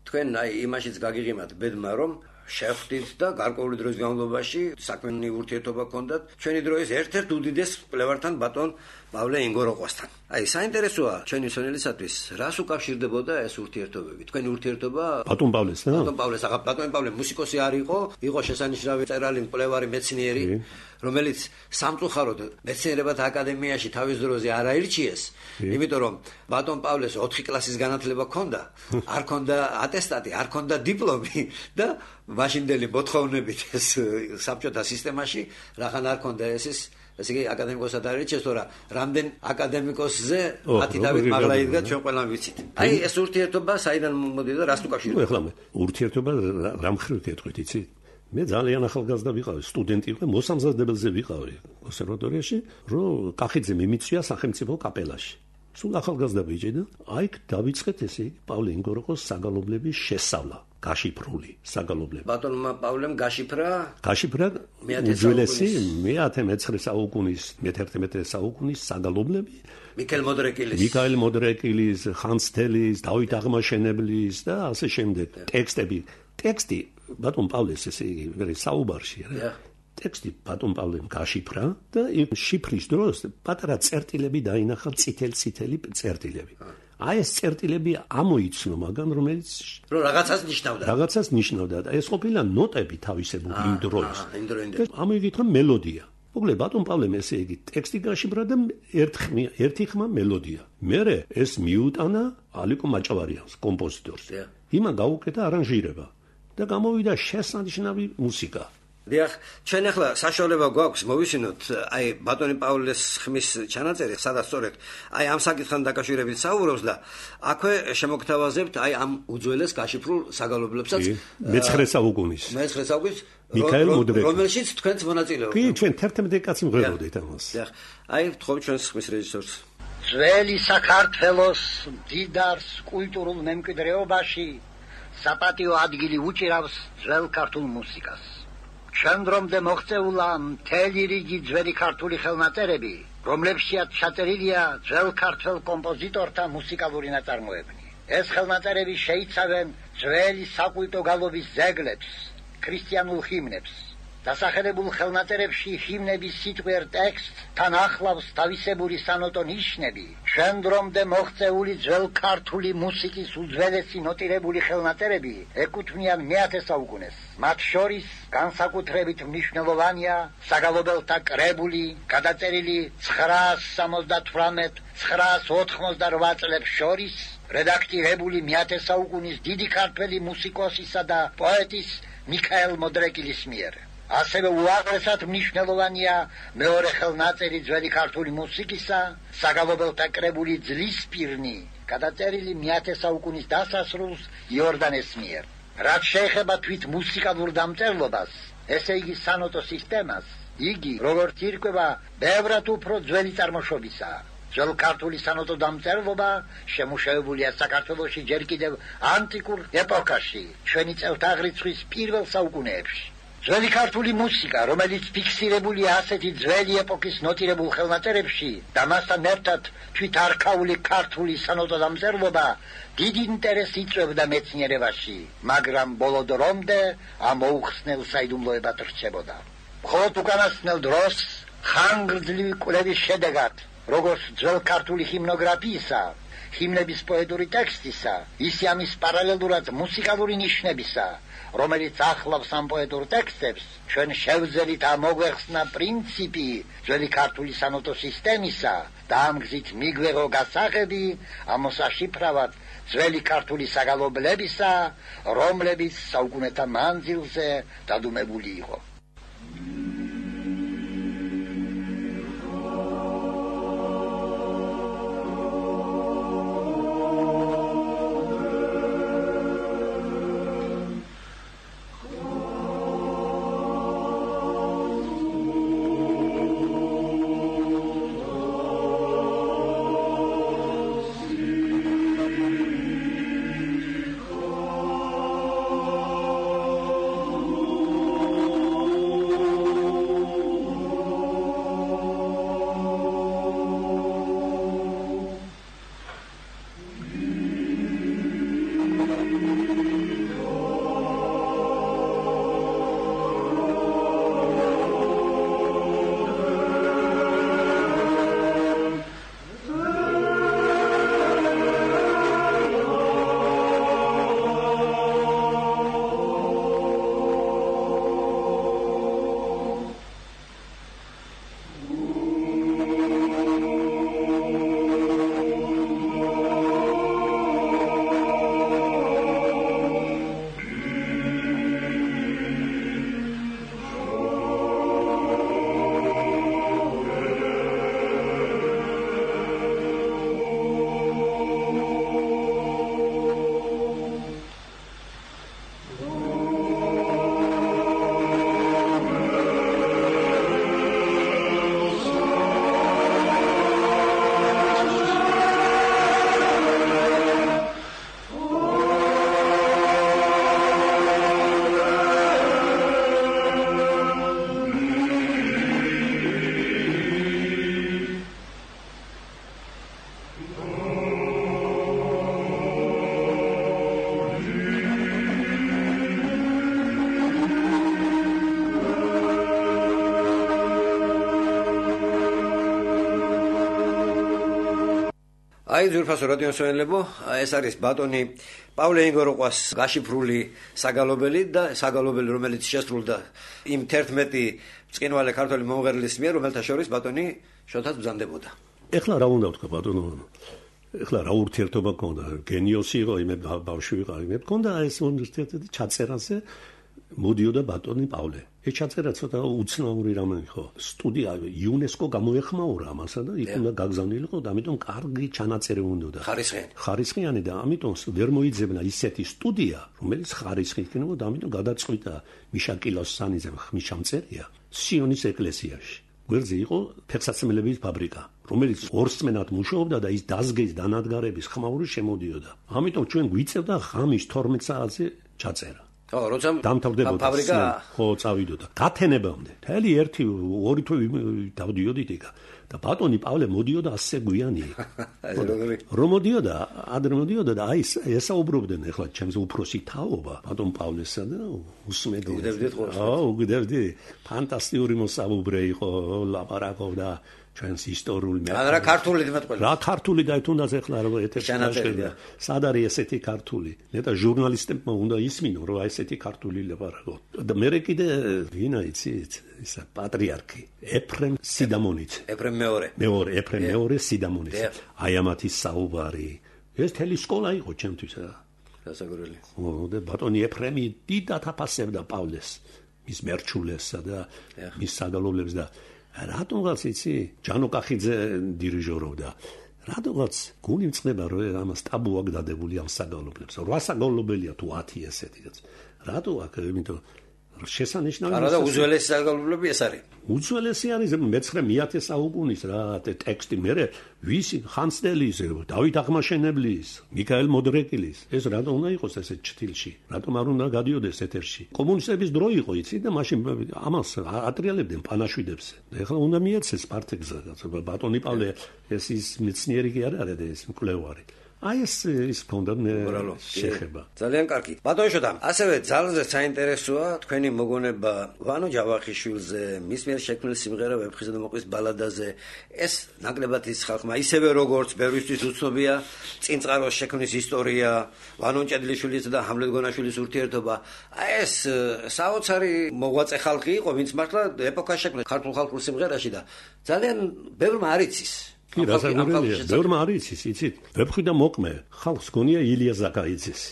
თქვენ აი იმაშიც გაგიღიმათ ბედმა რომ შეხვდით და გარკვეული დროის განმავლობაში საქმიანი ურთიერთობა ჰქონდათ ჩვენი დროის ერთ-ერთ უდიდეს კვლევართან ბატონ პავლე ინგოროყვასთან. აი საინტერესოა ჩვენი მსმენელისათვის რას უკავშირდებოდა ეს ურთიერთობები. თქვენი ურთიერთობა ბატონ პავლესთან? ბატონ პავლე მუსიკოსი არ იყო, იყო შესანიშნავი მწერალი, მკვლევარი, მეცნიერი, რომელიც სამწუხაროდ მეცნიერებათა აკადემიაში თავის დროზე არ აირჩიეს, იმიტომ რომ ბატონ პავლეს 4 კლასის განათლება ჰქონდა, არ ჰქონდა ატესტატი, არ ჰქონდა დიპლომი და მაშინდელი მოთხოვნებით ეს საბჭოთა სისტემაში რახან არ ჰქონდა ეს ესე იგი აკადემიკოსად არიჩეს, თორა რამდენ აკადემიკოსზე მათი დავით მაღლა იდგა ჩვენ ყველამ ვიცით. აი ეს ურთიერთობა საიდან მომდიოდა და რას უკავშირდება? ეხლა მე ურთიერთობა რა მხრივ გეტყვით, იცი? მე ძალიან ახალგაზრდა ვიყავი, სტუდენტი ვიყავი, მოსამზადებელზე ვიყავი კონსერვატორიაში, რომ კახიძე მიმიწვია სახელმწიფო კაპელაში. სულ ახალგაზრდა ბიჭი და აი დავიწყეთ ესე იგი პავლე ინგოროყოს საგალობლების შესწავლა. გაშიფრული საგალობლები. ბატონმა პავლემ გაშიფრა უძველესი მე-19 საუკუნის, მე-11 საუკუნის საგალობლები. მიქაელ მოდრეკილის, ხანს თელის, დავით აღმაშენებლის და ასე შემდეგ. ტექსტი ბატონ პავლეს ესე იგი საუბარში რა. ტექსტი ბატონ პავლემ გაშიფრა და იმ შიფრის დროს პატარა წერტილები დაინახა წითელი წერტილები. აი ეს წერტილები ამოიცნო მაგან რომელიც რაღაცას ნიშნავდა და ეს ყოფილა ნოტები თავისებური იმ დროის. ამოიგეთ რომ მელოდია. მოკლედ ბატონ პავლემ ესე იგი ტექსტი გაშიფრა და ერთი ხმა მელოდია. მერე ეს მიუტანა ალიკო მაჭავარიანს, კომპოზიტორს. იმან გაუკეთა არანჟირება და გამოვიდა შესანიშნავი მუსიკა. დიახ, ჩვენ ახლა საშუალება გვაქვს მოვისმინოთ აი ბატონი პავლეს ხმის ჩანაწერი, სადაც სწორედ აი ამ საკითხთან დაკავშირებით საუბრობს და აქვე შემოგთავაზებთ აი ამ უძველეს გაშიფრულ საგალობლებსაც მე-9 საუკუნის მიქაელ მოდრეკილი, რომელშიც თქვენც მონაწილეობთ. კი, ჩვენ 11 კაცი მღეროდით ამას. დიახ, აი ვთხოვთ ჩვენს ხმის რეჟისორს. ძველი საქართველოს დიდარს კულტურულ მემკვიდრეობაში საპატიო ადგილი უჭირავს ძველ ქართულ მუსიკას. შემდრომდე მოღწეულა მთელი რიგი ძველი ქართული ხელნაწერები, რომლებშიაც ჩაწერილია ძველ ქართველ კომპოზიტორთა მუსიკალური ნაწარმოებები. ეს ხელნაწერები შეიცავენ ძველი საკულტო გალობის ძეგლებს, ქრისტიანულ ჰიმნებს. დასახელებულ ხელნაწერებში ჰიმნების სიტყვიერ ტექსტს თან ახლავს თავისებური სანოტო ნიშნები. შემდრომდე მოღწეული ძველ ქართული მუსიკის უძველესი ნოტირებული ხელნაწერები ეკუთვნიან მე-10 საუკუნეს. მათ შორის განსაკუთრებით მნიშვნელოვანია საგალობელთა კრებული, გადაწერილი 978-988 წლებს შორის, რედაქტირებული მე-10 საუკუნის დიდი ქართველი მუსიკოსისა და პოეტის მიქაელ მოდრეკილის მიერ. ასევე უაღრესად მნიშვნელოვანია მეორე ხელნაწერი ძველი ქართული მუსიკისა, საგალობელთა კრებული ძლისპირნი, გადაწერილი მე-10 საუკუნის დასასრულს იორდანეს მიერ. რაც შეეხება თვით მუსიკალურ დამწერლობას, ესე იგი სანოტო სისტემას, იგი როგორც ირკვევა ბევრად უფრო ძველი წარმოშობისაა. ძველ ქართული სანოტო დამწერლობა შემუშავებულია საქართველოში ჯერ კიდევ ანტიკურ ეპოქაში, ჩვენი წელთაღრიცხვის პირველ საუკუნეებში. ძველი ქართული მუსიკა, რომელიც ფიქსირებულია ასეთი ძველი ეპოქის ნოტირებულ ხელნაწერებში და მასთან ერთად თვით არქაული ქართული სანოტო დამწერლობა დიდი ინტერესს იწვევდა მეცნიერებაში, მაგრამ ბოლო დრომდე ამ მოუხსნელ საიდუმლოებად რჩებოდა. მხოლოდ უკანასკნელ დროს ხანგრძლივი კვლევის შედეგად, როგორც ძველ ქართული ჰიმნოგრაფიისა, ჰიმნების პოეტური ტექსტისა, ისე ამის პარალელურად მუსიკალური ნიშნებისა, რომელიც ახლავს ამ პოეტურ ტექსტებს, ჩვენ შევძელით ამოგვეხსნა პრინციპი ძველი ქართული სანოტო სისტემისა და ამ გზით მიგვეღო გასაღები ამოსაშიფრავად ძველი ქართული საგალობლებისა, რომლებიც საუკუნეთა მანძილზე დადუმებული იყო. აი ძვირფასო რადიო მსმენელებო, ეს არის ბატონი პავლე ინგოროყვას გაშიფრული საგალობელი და საგალობელი, რომელიც შესრულდა იმ 11 ბრწყინვალე ქართველი მომღერლის მიერ, რომელთა შორის ბატონი შოთაც ბრძანდებოდა. ეხლა რა უნდა ვთქვა ბატონო? ეხლა რა ურთიერთობა გქონდა? გენიოსი იყო, იმე ბავშვი ვიყავი, მე მქონდა ეს უნივერსიტეტი ჩაწერაზე მოდიოდა ბატონი პავლე. ეს ჩაწერა ცოტა უცნაური რამე იყო. სტუდია იუნესკო გამოეხმაურა ამასა და იქ უნდა გაგზავნილიყო და ამიტომ კარგი ჩანაწერი უნდა. ხარისხიანი და ამიტომ ვერ მოიძებნა ისეთი სტუდია, რომელიც ხარისხი იქნებოდა და ამიტომ გადაწყვიტა მიშა კილოსანიძემ ხმისჩამწერია სიონის ეკლესიაში. გვერდზე იყო ფეხსაცმელების ფაბრიკა, რომელიც ორსმენად მუშაობდა და ის დაზგის დანადგარების ხმაური შემოდიოდა. ამიტომ ჩვენ გვიწევდა ღამის 12 საათზე ჩაწერა. როცა დამთავრდებოდა ფაბრიკა, ხო, წავიდოდა. გათენებამდე. თელი 1-2 თვე დავდიოდით იქ. და ბატონი პავლე მოდიოდა ასე გვიანი. რომ მოდიოდა, ადრე მოდიოდა და აი ესაუბრობდნენ ახლა ჩემს უფროსი თაობა, ბატონ პავლესა და უსმედი. უგდებდი. ფანტასტიკური მოსაუბრე იყო, ლაპარაკობდა ჩვენს ისტორიულ მაგრამ რა ქართული დიმატყველა. რა ქართული და თუნდაც ახლა რა ეთერში ჩანაწერია. სად არის ესეთი ქართული? ნეტა ჟურნალისტებმა უნდა ისმინო, რომ ესეთი ქართული ლაპარაკო. და მე კიდე ვინა იცით? ისა პატრიარქი ეფრემ სიდამონიცე. ეფრემ მეორე სიდამონიცე. აი ამათი საუბარი. ეს თელი სკოლა იყო ჩემთვის რა. გასაგრელი. და ბატონი ეფრემი დიდად აფასებდა პავლეს, მის მერჩულესსა და მის საგალობლებს და რატომღაც იცი ჯანო კახიძე დირიჟორობდა. რატომღაც გული მწყდება რომ ამას ტაბუ აქვს დადებული ამ საგალობლებს. 8 საგალობელია თუ 10 ესეთიც. რატო აქ იმიტომ შესანიშნავი არა და უძველესი საგალობლები ეს არის. უძველესი არის მე-9 საუკუნის რა ტექსტი მე ვისი ხანძთელის, დავით აღმაშენებლის, მიქაელ მოდრეკილის. ეს რატომ უნდა იყოს ესე ჩთილში? რატომ არ უნდა გადიოდეს ეთერში? კომუნისტების დრო იყო იცი და მაშინ ამას ატრიალებდნენ პანაშვიდებს. ეხლა უნდა მიეცეს პარტეგზა ბატონი პავლე ეს ის მეცნიერი კი არ არის ეს მკვლევარი. აი ეს ქონდა შეხება. ძალიან კარგი. ბატონო შოთა, ასევე ძალზე საინტერესოა თქვენი მოგონება ვანო ჯავახიშვილზე, მის მიერ შექმნილ სიმღერა ვეფხისტყაოსანი და მოყვის ბალადაზე. ეს ნაკლებად ის ხალხმა, ისევე როგორც ბევრისთვის უცნობია წინწყაროს შექმნის ისტორია, ვანო ჭედლიშვილის და ჰამლეტ გონაშვილის ურთიერთობა. აი ეს საოცარი მოღვაწე ხალხი იყო, ვინც მართლა ეპოქას შექმნეს ქართულ ხალხურ სიმღერაში და ძალიან ბევრმა არ იცის. კი, რასაკვირველია, ბევრმა არ იცის, იცით? ვეფხვი და მოყმე ხალხს გონია ილია ზაკაიძესი.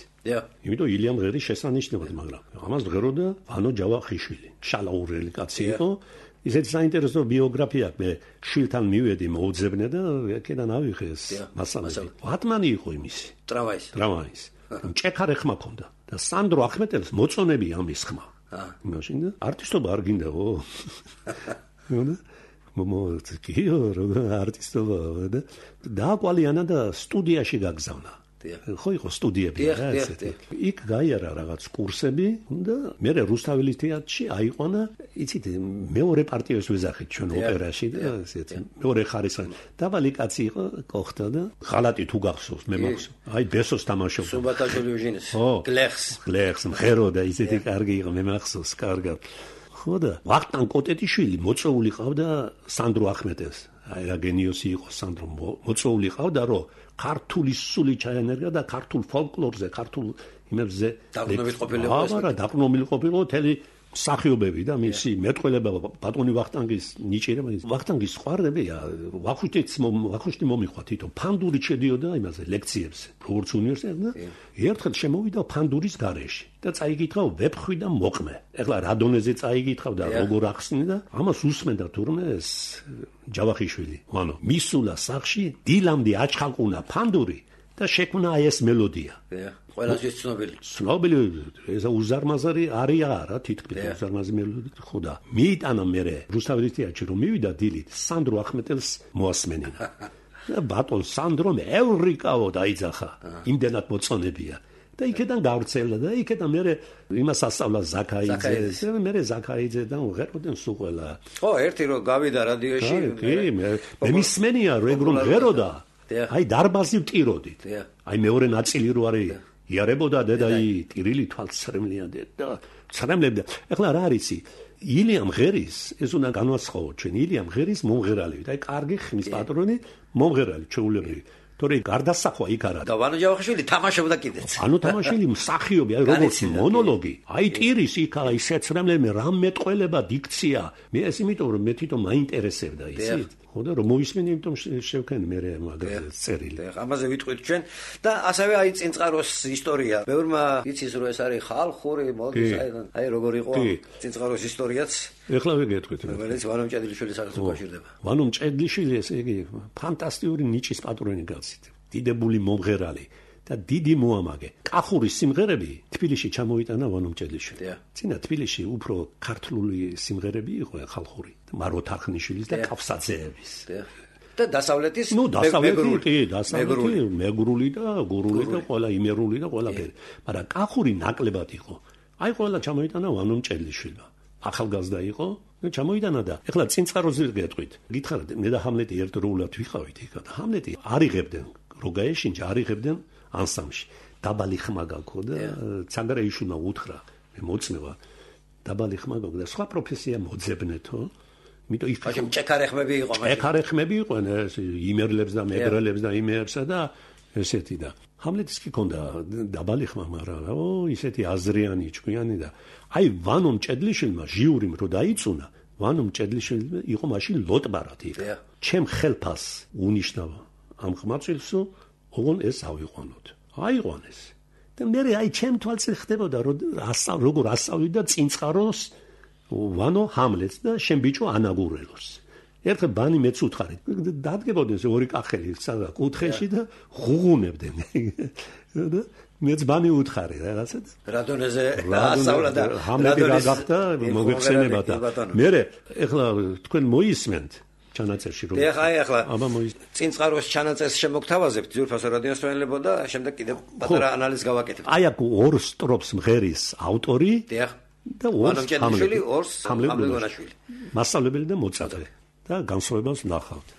იმიტომ ილია მღერის შესანიშნავად, მაგრამ ამას ღეროდა ვანო ჯავახიშვილი. შალაურელი კაცი იყო. ისეთი საინტერესო ბიოგრაფია მე შვილთან მივედი მოუძებნე და ეკედან ავიღე ეს მასალები. ვატმანი იყო იმისი. ტრამვაის. ჭექარე ხმა ქონდა და სანდრო ახმეტელს მოწონები ამის ხმა. მაშინ და არტისტობა არ გინდაო. მომოწკიო როგორ არტისტობა და დააკვალიანა და სტუდიაში გაგზავნა. ხო იყო სტუდიები რა ესეთი. იქ გაიარა რაღაც კურსები და მე რუსთაველის თეატრში აიყვანა, იცით, მეორე პარტიას ვეძახით ჩვენ ოპერაში და ესეთი. მეორე ხარისხი. დაბალი კაცი იყო, კოხთა და ღალატი თუ გახსოვს, მე მახსოვს. აი ბესოს თამაშობდა. სუბათაშვილი უჟინეს. გლეხს მხერო და ისეთი კარგი იყო, მე მახსოვს კარგად. ხო და ვახტანგ კოტეტიშვილი მოწვეული ყავდა სანდრო ახმეტელს. აი რა გენიოსი იყო სანდრო, მოწვეული ყავდა რომ ქართული სული ჩაენერგა და ქართულ ფოლკლორზე, ქართულ იმებზე დაყრდნობილი ყოფილიყო თელი მსახიობები და მისი მეტყველება ბატონი ვახტანგის ნიჭიერება. ვახტანგის ხვარდებია, ვახუშტი მომიხვა თვითონ ფანდური შედიოდა იმაზე ლექციებზე, როგორც უნივერსიტეტში და ერთხელ შემოვიდა ფანდურის გარეშე და წაიგითხა ვეფხვი და მოყმე. ეხლა რა დონეზე წაიგითხავ და როგორ ახსნი და ამას უსმენდა თურმე ეს ჯავახიშვილი. ვანო მისულა სახში დილამდე აჩხალყუნა ფანდური და შექმნა ეს მელოდია. ყველასთვის ცნობილი ეს უზარმაზარი არია რა თითქმის უზარმაზი მელოდია ხო და მიიტანა მე რუსთაველის თეატრში რომ მივიდა დილით სანდრო ახმეტელს მოასმენინა და ბატონ სანდრომ ევრიკაო დაიძახა იმდენად მოწონებია და იქიდან გავრცელა და იქიდან მე იმას ასწავლა ზაკაიძე მე ზაკაიძე და უღეროდნენ სულ ყველა ხო ერთი რომ გავიდა რადიოში მე მისმენია რომ ღეროდა აი დარბაზი ვტიროდით აი მეორე ნაწილი რო არის იარებოდა დედაი ტირილი თვალცრემლიანდა და ცრემლებდა. ეხლა რა არიცი? ილიამ ღერის ეს უნდა განვასხვაო ჩვენ ილიამ ღერის მომღერალი. აი კარგი ხმის პატრონი მომღერალი ჩეულებრივი. თორე გარდასახვა იქ არა. და ვანო ჯავახიშვილი თამაშობდა კიდეც. ანუ თამაშილი მსახიობი, აი როგორც მონოლოგი. აი ტირის იქ აი შეცრემლები რამ მეტყველება დიქცია. მე ეს იმიტომ რომ მე თვითონ მაინტერესებდა ისიც. ხო და რომ მოისმენი იმიტომ შევქენი მე მაგაზე წერილი. ამაზე ვიტყვით ჩვენ და ასევე აი წინწყაროს ისტორია. ბევრმა იცის რომ ეს არის ხალხური მოდის აი როგორ იყო წინწყაროს ისტორიაც. ეხლა ვიგეთქვით. რომელიც ვანო ჭედლიშვილის სახელს უკავშირდება. ვანო ჭედლიშვილი ესე იგი ფანტასტიკური ნიჭის პატრონი გაცით. დიდებული მომღერალი და დიდი მოამაგე. კახური სიმღერები თბილისში ჩამოიტანა ვანო ჭედლიშვილს. წინა თბილისში უფრო ქართული სიმღერები იყო ხალხური. მარო თარხნიშვილის და კაფსაძეების. და დასავლეთის მეგრული და გურული და ყველა იმერული და ყველაფერი. მაგრამ კახური ნაკლებად იყო. აი ყველა ჩამოიტანა ვანო ჭედლიშვილმა. ახალგაზრდა იყო და ჩამოიტანა და ეხლა წინწყაროზე გეტყვით. გითხარით მე და ჰამლეტი ერთდროულად ვიყავით იქ და ჰამლეტი არიღებდნენ როგაეშინჯა არიღებდნენ ანსამში. დაბალი ხმა გაქო და ცანდარეიშვილმა უთხრა მე მოწნევა დაბალი ხმა გაქო და სხვა პროფესია მოძებნეთო. მითო იქ ჭექარე ხმები იყო მაშინ. ჭექარე ხმები იყვნენ ეს იმერლებს და მეგრელებს და იმერსა და ესეთი და ჰამლეტის კი ქონდა დაბალი ხმა, მაგრამ ისეთი აზრიანი ჭკვიანი და აი ვანომ ჭედლიშვილმა ჟიურიმ რო დაიწუნა, ვანომ ჭედლიშვილი იყო მაშინ ლოტბარათი. ჩემ ხელფას უნიშნავა ამ ხმაწილსო, ოღონ ეს ავიყვანოთ. აიყვანეს. და მე აი ჩემ თვალზე ხდებოდა როგორ ასწავლიდა წინწყაროს ვანო ჰამლეტს და შენ ბიჭო ანაგურელოს. ერთხელ ბანი მეც უთხარით. დადგებოდნენ ორი კახელი სადღაც კუთხეში და ღუღუნებდნენ. და მეც ბანი უთხარი რაღაცა. რადონეზე ასავლა და ჰამლეტი რა გახდა მოგეხსენება და მე ეხლა თქვენ მოისმენთ ჩანაწერში რომ ეხლა წინწყაროს ჩანაწერს შემოგთავაზებთ ძვირფასო რადიოსმენელებო და შემდეგ კიდევ პატარა ანალიზს გავაკეთებთ. აი აქ ორ სტროფს მღერის ავტორი და ორ ჰამლეტი ორს ჰამლეტონაშვილი. მასწავლებელი და მოწაფე და განსხვავებას ნახავთ.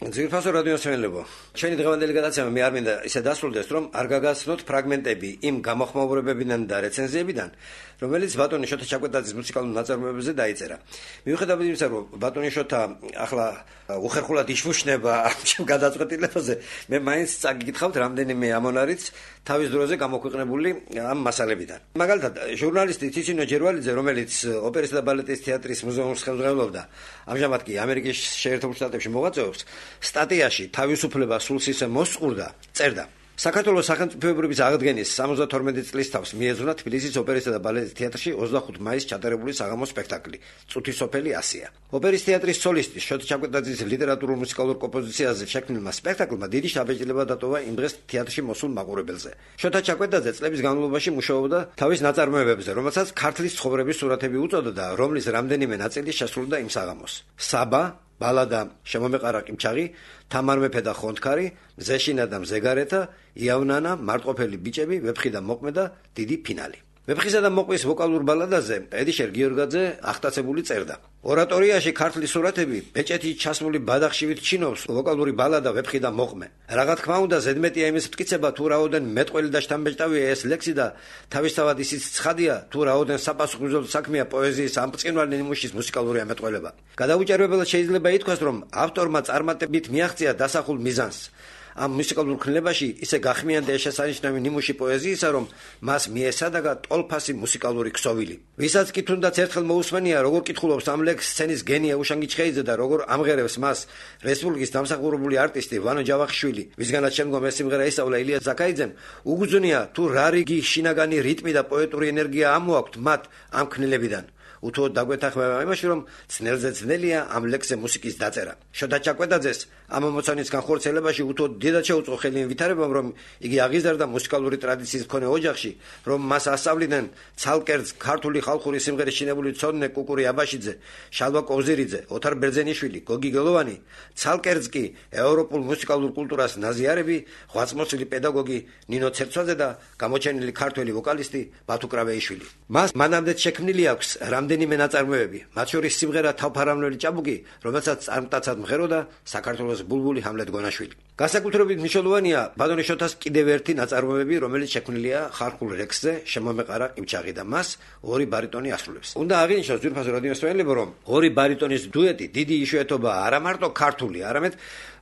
ძვირფასო რადიოსმენელებო, ჩვენი დღევანდელი გადაცემა მე არ მინდა ისე დასრულდეს, რომ არ გაგაცნოთ ფრაგმენტები იმ გამოხმაურებებიდან და რეცენზიებიდან, რომელიც ბატონი შოთა ჩაკვეტაძის მუსიკალურ ნაწარმოებებზე დაიწერა. მიუხედავად იმისა, რომ ბატონი შოთა ახლა უხერხულად იშუშნება ამ გადაწყვეტილებაზე, მე მაინც წაგიკითხავთ რამდენიმე ამონარიც თავის დროზე გამოქვეყნებული ამ მასალებიდან. მაგალითად, ჟურნალისტი თითინო ჯერვალიძე, რომელიც ოპერისა და ბალეტის თეატრის მუზეუმს ხელმძღვანელობდა, ამჟამად კი ამერიკის შეერთებულ შტატებში მოღვაწეობს, სტატიაში თავისუფლება სულს ისე მოსწყურდა, წერდა: საქართველოს სახელმწიფოებრების აღდგენის 72 წლის თავს მიეძღვნა თბილისის ოპერისა და ბალეტის თეატრში 25 მაისს ჩატარებული საღამოს სპექტაკლი „წუთის სოფელი ასია“. ოპერის თეატრის სოლისტი შოთა ჩაკვეტაძის ლიტერატურულ მუსიკალურ კომპოზიციაზე შექმნილმა სპექტაკლმა დიდი შაბეჭდილება დატოვა იმ დღეს თეატრში მოსულ მაყურებელზე. შოთა ჩაკვეტაძე წლების განმავლობაში მუშაობდა თავის ნაწარმოებებზე, რომელსაც ქართლის ცხოვრების სურათები უწოდა, რომლის რამდენიმე ნაწილი შესრულდა იმ საღამოს. საბა, ბალადა შემომეყარა ყიმჩაღი, თამარ მეფე და ხონთქარი, მზეშინა და მზეგარეთა, იავნანა, მარტყოფელი ბიჭები, ვეფხი და მოყმე და დიდი ფინალი. ვეფხისა და მოყმის ვოკალურ ბალადაზე ედიშერ გიორგაძე ახტაცებული წერდა: ორატორიაში ქართლის სურათები ბეჭეთით ჩასმული ბადახშივით ჩინობს ვოკალური ბალადა ვეფხი და მოყმე. რა თქმა უნდა, ზედმეტია იმის მტკიცება, თუ რაოდენ მეტყველი და შთამბეჭდავია ეს ლექსი და თავისთავად ისიც ცხადია, თუ რაოდენ საპასუხისმგებლო საქმეა პოეზიის ამ ბრწყინვალე ნიმუშის მუსიკალური ამეტყველება. გადაუჭერბებლად შეიძლება ითქვას, რომ ავტორმა წარმატებით მიაღწია დასახულ მიზანს. ამ მუსიკალურ ქმნილებაში ისე გახმიანდა შესანიშნავი ნიმუში პოეზიისა, რომ მას მიესადაგა ტოლფასი მუსიკალური ქსოვილი. ვისაც კი თუნდაც ერთხელ მოусმენია, როგორ კითხულობს ამ ლექსს სცენის გენია უშანგი ჩხეიძე და როგორ ამღერებს მას რესპუბლიკის დამსახურებული არტისტი ვანო ჯავახიშვილი, ვისგანაც შემდგომ ეს სიმღერა ისწავლა ილია ზაქაიძემ, უგზნია თუ რა რიგი შინაგანი რიტმი და პოეტური ენერგია ამოაქვთ მათ ამ ქმნილებიდან. უთუოდ დაგვეთანხმება იმაში, რომ ძნელზე ძნელია ამ ლექსზე მუსიკის დაწერა. შოთა ჩაკვეტაძეს ამ ამოცანის განხორციელებაში უთუოდ დიდად შეუწყო ხელი იმ ვითარებამ, რომ იგი აღიზარდა მუსიკალური ტრადიციის მქონე ოჯახში, რომ მას ასწავლიდნენ ცალკერძ ქართული ხალხური სიმღერის ჩინებული მცოდნე კუკური აბაშიძე, შალვა კოვზირიძე, ოთარ ბერძენიშვილი, გოგი გელოვანი, ცალკერძ კი ევროპულ მუსიკალურ კულტურას ნაზიარები, ღვაწმოსილი პედაგოგი ნინო ცერცვაძე და გამოჩენილი ქართველი ვოკალისტი ბათუ კრავეიშვილი. მას მანამდე შექმნილი აქვს რამდენიმე ნაწარმოები, მათ შორის სიმღერა თავფარავნელი ჭაბუკი, რომელსაც წარმტაცად მღეროდა საქართველოს ბულბული ჰამლეთ გონაშვილი. განსაკუთრებით მნიშვნელოვანია ბატონი შოთას კიდევ ერთი ნაწარმოები, რომელიც შექმნილია ხალხურ ლექსზე შემომეყარა ყიმჩაღი და მას ორი ბარიტონი ასრულებს. უნდა აღინიშნოს ძვირფასო რადიოსმენელებო, რომ ორი ბარიტონის დუეტი დიდი იშვიათობაა არა მარტო ქართული, არამედ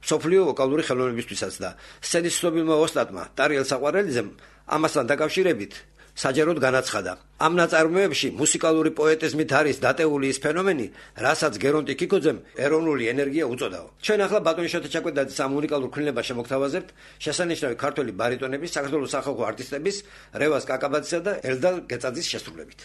მსოფლიო ვოკალური ხელოვნებისთვისაც და სცენის ცნობილმა ოსტატმა ტარიელ საყვარელიძემ ამასთან დაკავშირებით საჯაროდ განაცხადა: ამ ნაწარმოებში მუსიკალური პოეტიზმით არის დატეული ის ფენომენი, რასაც გერონტი კიკოძემ ეროვნული ენერგია უწოდაო. ჩვენ ახლა ბატონი შოთა ჩაკვეტაძის ამ უნიკალურ ქმნილებას შემოგთავაზებთ შესანიშნავი ქართველი ბარიტონების, საქართველოს სახალხო არტისტების რევაზ კაკაბაძისა და ელდარ გეწაძის შესრულებით.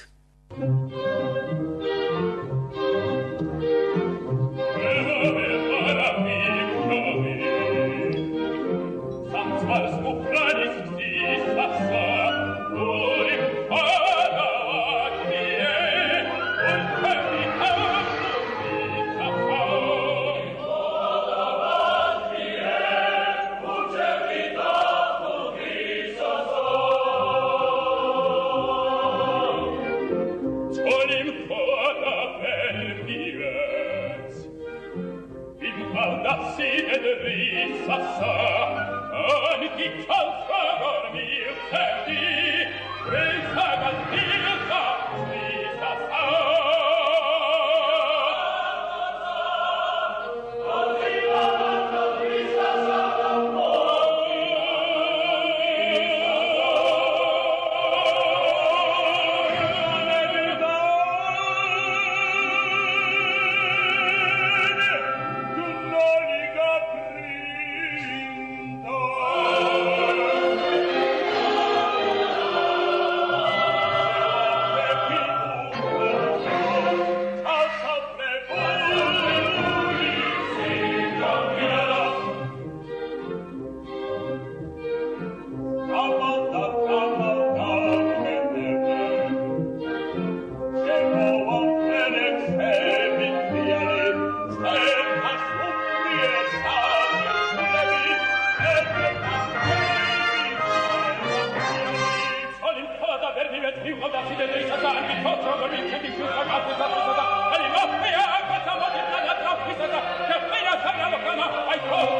I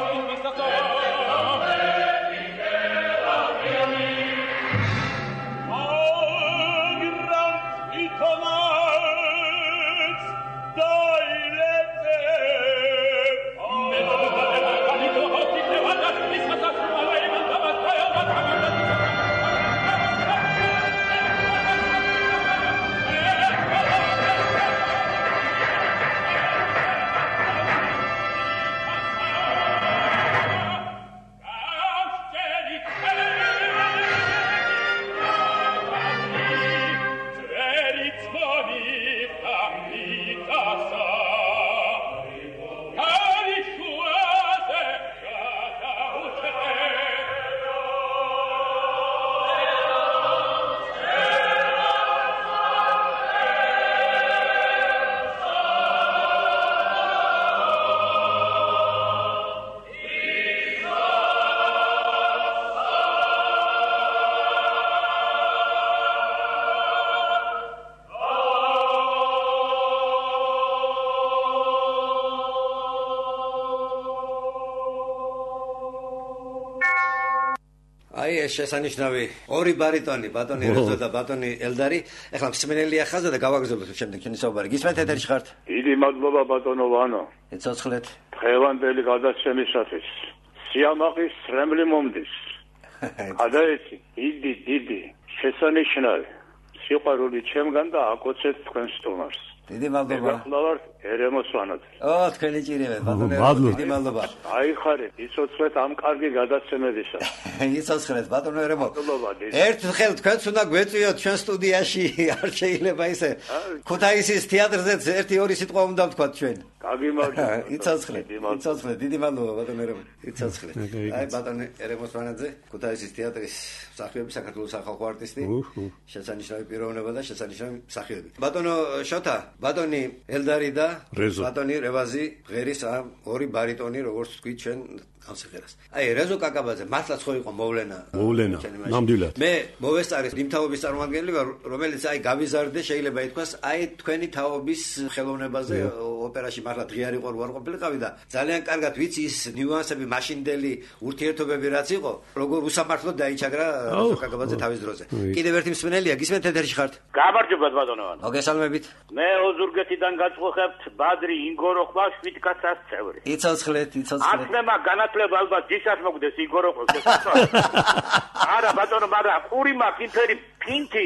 აი ეს შესანიშნავი ორი ბარიტონი, ბატონი რეზო და ბატონი ელდარი. ეხლა მსმენელია ხაზა და გავაგზავნოთ შემდეგ ჩვენი საუბარი. გისმენთ ეთერში ხართ? დიდი მადლობა ბატონო ვანო. ეცოცხლეთ. დღევანდელი გადაცემისათვის სიამაყის რემლი მომდის. გადაეცი დიდი შესანიშნავი სიყვარული ჩემგან და აკოცეთ თქვენ სტუმარს. დიდი მადლობა. გახლავართ ერემოს ვანოც. თქვენი ჭირებეთ ბატონო. დიდი მადლობა. აიხარეთ, იცოცხლეთ ამ კარგი გადაცემებისა. იცოცხლეთ ბატონო ერემო. ერთხელ თქვენც უნდა გვეწვიოთ ჩვენ სტუდიაში, არ შეიძლება ისე. ქუთაისის თეატრზეც 1-2 სიტყვა უნდა ვთქვათ ჩვენ. გაგიმარჯვებთ. იცოცხლეთ, დიდი მადლობა ბატონო ერემო. იცოცხლეთ. აი ბატონო ერემოს ვანაძე, ქუთაისის თეატრის მსახიობი, საქართველოს სახალხო არტისტი. შესანიშნავი პიროვნება და შესანიშნავი მსახიობი. ბატონო შოთა, ბატონი ელდარი და ბატონი რევაზი ღერის ამ ორი ბარიტონი, როგორც თქვით ჩვენ ამ სიმღერას. აი რეზო კაკაბაძე მართლაც ხო იყო მოვლენა. ნამდვილად. მე მოვესწარეს იმ თაობის წარმომადგენელი ვარ, რომელიც აი გავიზარდე, შეიძლება ითქვას, აი თქვენი თაობის ხელოვნებაზე ოპერაში მართლა დღიარი ყარ ყოფილიყავი და ძალიან კარგად ვიცი ის ნიუანსები, მაშინდელი ურთიერთობები რაც იყო, როგორ უსამართლოდ დაიჩაგრა რეზო კაკაბაძე თავის დროზე. კიდევ ერთი მსმენელია, გისმენთ ეთერში ხართ? გამარჯობათ ბატონო ვანო. მოგესალმებით. მე ოზურგეთიდან გაწყობთ ბადრი ინგოროხვა შვიდკაცას წევრი. იცოცხლეთ. ათლემა განათლება ალბათ ძისას მოგდეს ინგოროხოს არა ბატონო, მაგრამ ყური მაქვს ინფერი ფინთი,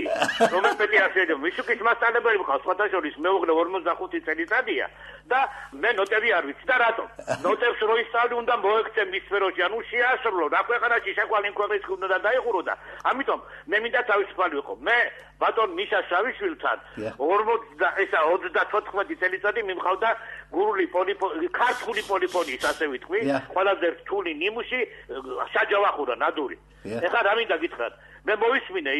რომელიც პედიატრია, მისუკის მასწავლებელი ვიყავ, სხვათა შორის მეუღლე 45 წელიწადია და მე ნოტები არ ვიცი და რატომ? ნოტებს რო ისწავლი უნდა მოექცე მის სფეროში, ანუ შეასრულო, რა ქვეყანაში შეყვალი ქვეყნის უნდა დაიხურო და ამიტომ მე მინდა თავისუფალი ვიყო. მე ბატონ მიშა შავიშვილთან 34 წელიწადი მიმყავდა გურული ქართული პოლიფონიის, ასე ვიტყვი, ყველაზე რთული ნიმუში საჯავახურა ნადური. ეხლა რა მინდა გითხრათ? მე მოვისმინე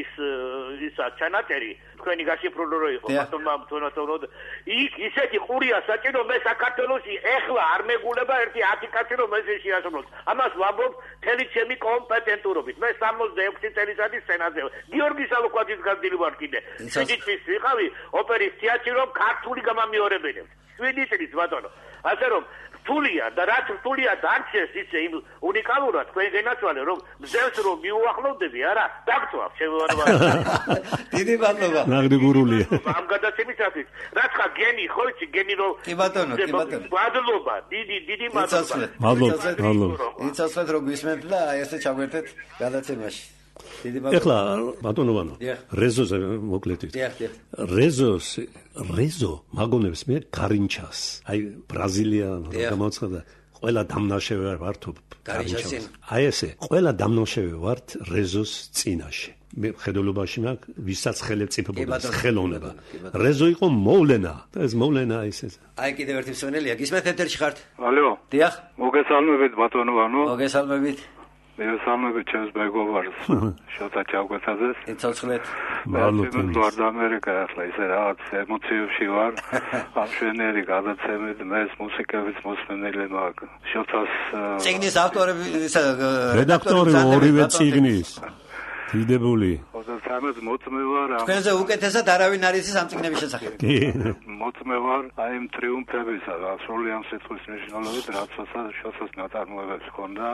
ისა ჩანაწერი, თქვენი გაშიფრულო რო იყო, ბატონმა თუნათონოდ იქ ისეთი ყურია საჭირო, მე საქართველოში ეხლა არ მეგულება ერთი 10 კაცი რომ ეს შეასრულოს. ამას ვამბობ მთელი ჩემი კომპეტენტურობით. მე 66 წელიწადი სცენაზე გიორგი სალოკვაძის განდილი ვარ კიდე. 7 წლის ვიყავი ოპერის თეატრში რომ ქართული გამამეორებელებს. 7 წლის ბატონო. ასე რომ რთულია და რაც რთულია დარჩეს ისე იმ უნიკალურად თქვენ გენაცვალე რომ მზევს რომ მიუახლოვდები არა დაგწვავ შევანობა. დიდი მადლობა. ნაგდი გურულია. ამ გადაცემისათვის რაც ხა გენი ხო იცი გენი რომ კი ბატონო. მადლობა დიდი მადლობა. მადლობა. იცოცხლეთ რომ გვისმენთ და აი ესე ჩაგვერთეთ გადაცემაში. ეხლა ბატონო ვანო რეზოზე მოკლედ რეზო მაგონებს მე კარინჩას აი ბრაზილია გამოცხადა ყველა დამნაშავე ვართ კარინჩას აი ესე ყველა დამნაშავე ვართ რეზოს წინაშე მე ხედულობაში მაქვს ვისაც ხელმწიფობა ხელოვნება რეზო იყო მოვლენა და ეს მოვლენა ისე აი კიდევ ერთი მსმენელია გისმენთ ეთერში ხართ ალო დიახ მოგესალმებით ბატონო ვანო მოგესალმებით მოგესალმებით ჩემს მეგობარს შოთა ჩავკვეთაძეს იცოცხლეთ ვარ და ამერიკა ახლა ისე რაღაც ემოციებში ვარ ამ შვენიერი გადაცემით მე მუსიკების მოსმენელი მაქვს შოთას წიგნის ავტორები რედაქტორი ორივე წიგნის დიდებული ხოდა სამად მოწმე ვარ თქვენზე უკეთესად არავინ არ იცის ამ წიგნების შესახებ კი მოწმე ვარ აი იმ ტრიუმფებისა და სრული ამ სიტყვის მნიშვნელობით რასაც შოთას ნაწარმოებებს ჰქონდა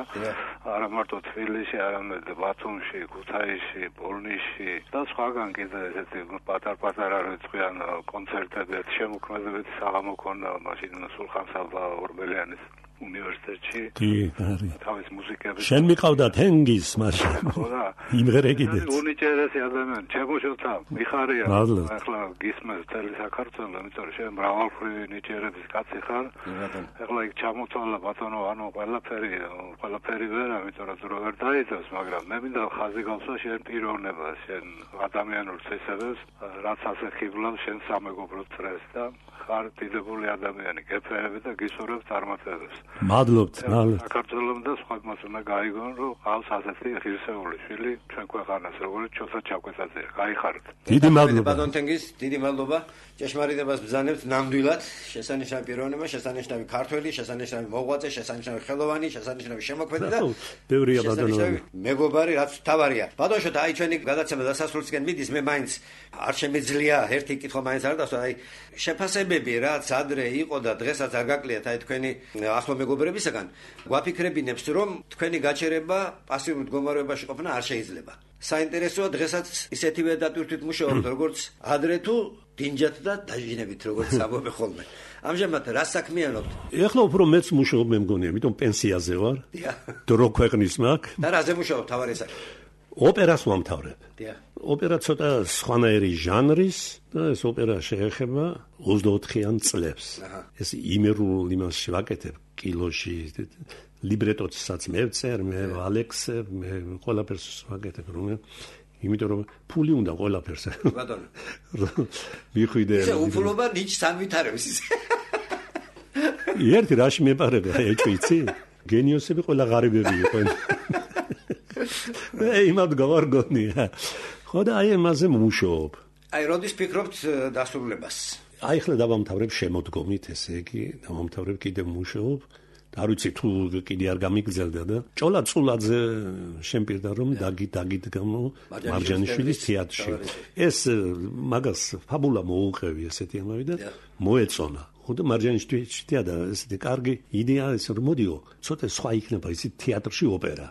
არა მარტო თბილისში არამედ ბათუმში ქუთაისში პოლნისში და სხვაგან კიდე ესეთი პატარ-პატარა რიცხვიან კონცერტები შემოქმედებითი საღამო ჰქონდა მაშინ სულხან-საბა ორბელიანის უნივერსიტეტში თავის მუსიკების შენ მიყავდა თენგის მაშინ ხოდა იმღერე კიდე უნიჭერესი ადამიანი ჩემოშოთა მიხარია ახლა გისმენს მთელი საქართველო იმიტომ რომ შენ მრავალფერი ნიჭერების კაცი ხარ ახლა იქ ჩამოთვალა ბატონო ანუ ყველაფერი ვერა იმიტომ რომ ძრო ვერ დაიძებს მაგრამ მე მინდა ხაზი გავსვა შენ პიროვნებას შენ ადამიანურ წესებებს რაც ასე ხიბლავს შენ სამეგობრო წრეს და ხარ დიდებული ადამიანი გეფერები და გისურვებ წარმატებებს მადლობთ საქართველოს და სხვაგმას უნდა გაიგონ რომ ყავს ასეთი ღირსეული შვილი ჩვენ ქვეყანას როგორც შოთა ჩაკვეთაძე გაიხარეთ დიდი მადლობა ბატონ თენგის დიდი მადლობა ჭეშმარიტებას ბრძანებთ ნამდვილად შესანიშნავი პიროვნება შესანიშნავი ქართველი შესანიშნავი მოღვაწე შესანიშნავი ხელოვანი შესანიშნავი შემოქმედი და ბევრია ბატონო მეგობარი რაც თავარია ბატონ შოთა აი ჩვენი გადაცემა დასასრულისკენ მიდის მე მაინც არ შემიძლია ერთი კითხვა მაინც არ დასვა აი შეფასებები რაც ადრე იყო და დღესაც არ გაკლიათ აი თქვენი ახლო მეგობრებისაგან გვაფიქრებინებს, რომ თქვენი გაჩერება პასიურ მდგომარეობაში ყოფნა არ შეიძლება. საინტერესოა დღესაც ისეთივე დატვირთვით მუშაობთ, როგორც ადრე თუ დინჯად და დაჟინებით, როგორც ამბობენ ხოლმე. ამჟამად რა საქმიანობთ? ეხლა უფრო მეც მუშაობ მე მგონია, იმიტომ პენსიაზე ვარ. დრო ქვეყნის მაქვს. და რაზე მუშაობ თავარი საკითხი? ოპერას ვამთავრებ. ოპერა ცოტა სხვანაირი ჟანრის და ეს ოპერა შეეხება 24-იან წლებს. ეს იმერულ იმას ვაკეთებ კილოში, ლიბრეტოსაც მე ვწერ, მე ვალექსებ, მე ყველაფერს ვაკეთებ, იმიტომ რომ ფული უნდა ყველაფერს. ბატონო. მიხვიდე. ისე უფლობა ნიჩს ამვითარებს ისე. ერთი რაში მეპარება, ეჭვიცი? გენიოსები ყველა ღარიბები იყვნენ. იმად გავარგონია. ხო და აი ამაზე მუშაობ. აი როდის ფიქრობთ დასრულებას? აი ახლა დავამთავრებ შემოდგომით, ესე იგი, დავამთავრებ კიდევ მუშაობ. არ ვიცი თუ კიდე არ გამიგრძელდა და ჭოლა წულაძე შემპირდა რომ დაგიდგამო მარჯანიშვილის თეატრში. ეს მაგას ფაბულა მოუყევი ესეთი ამავე და მოეწონა. ხო და მარჯანიშვილის თეატრა ესეთი კარგი იდეა ეს რომ მოდიო, ცოტა სხვა იქნება ისი თეატრში ოპერა.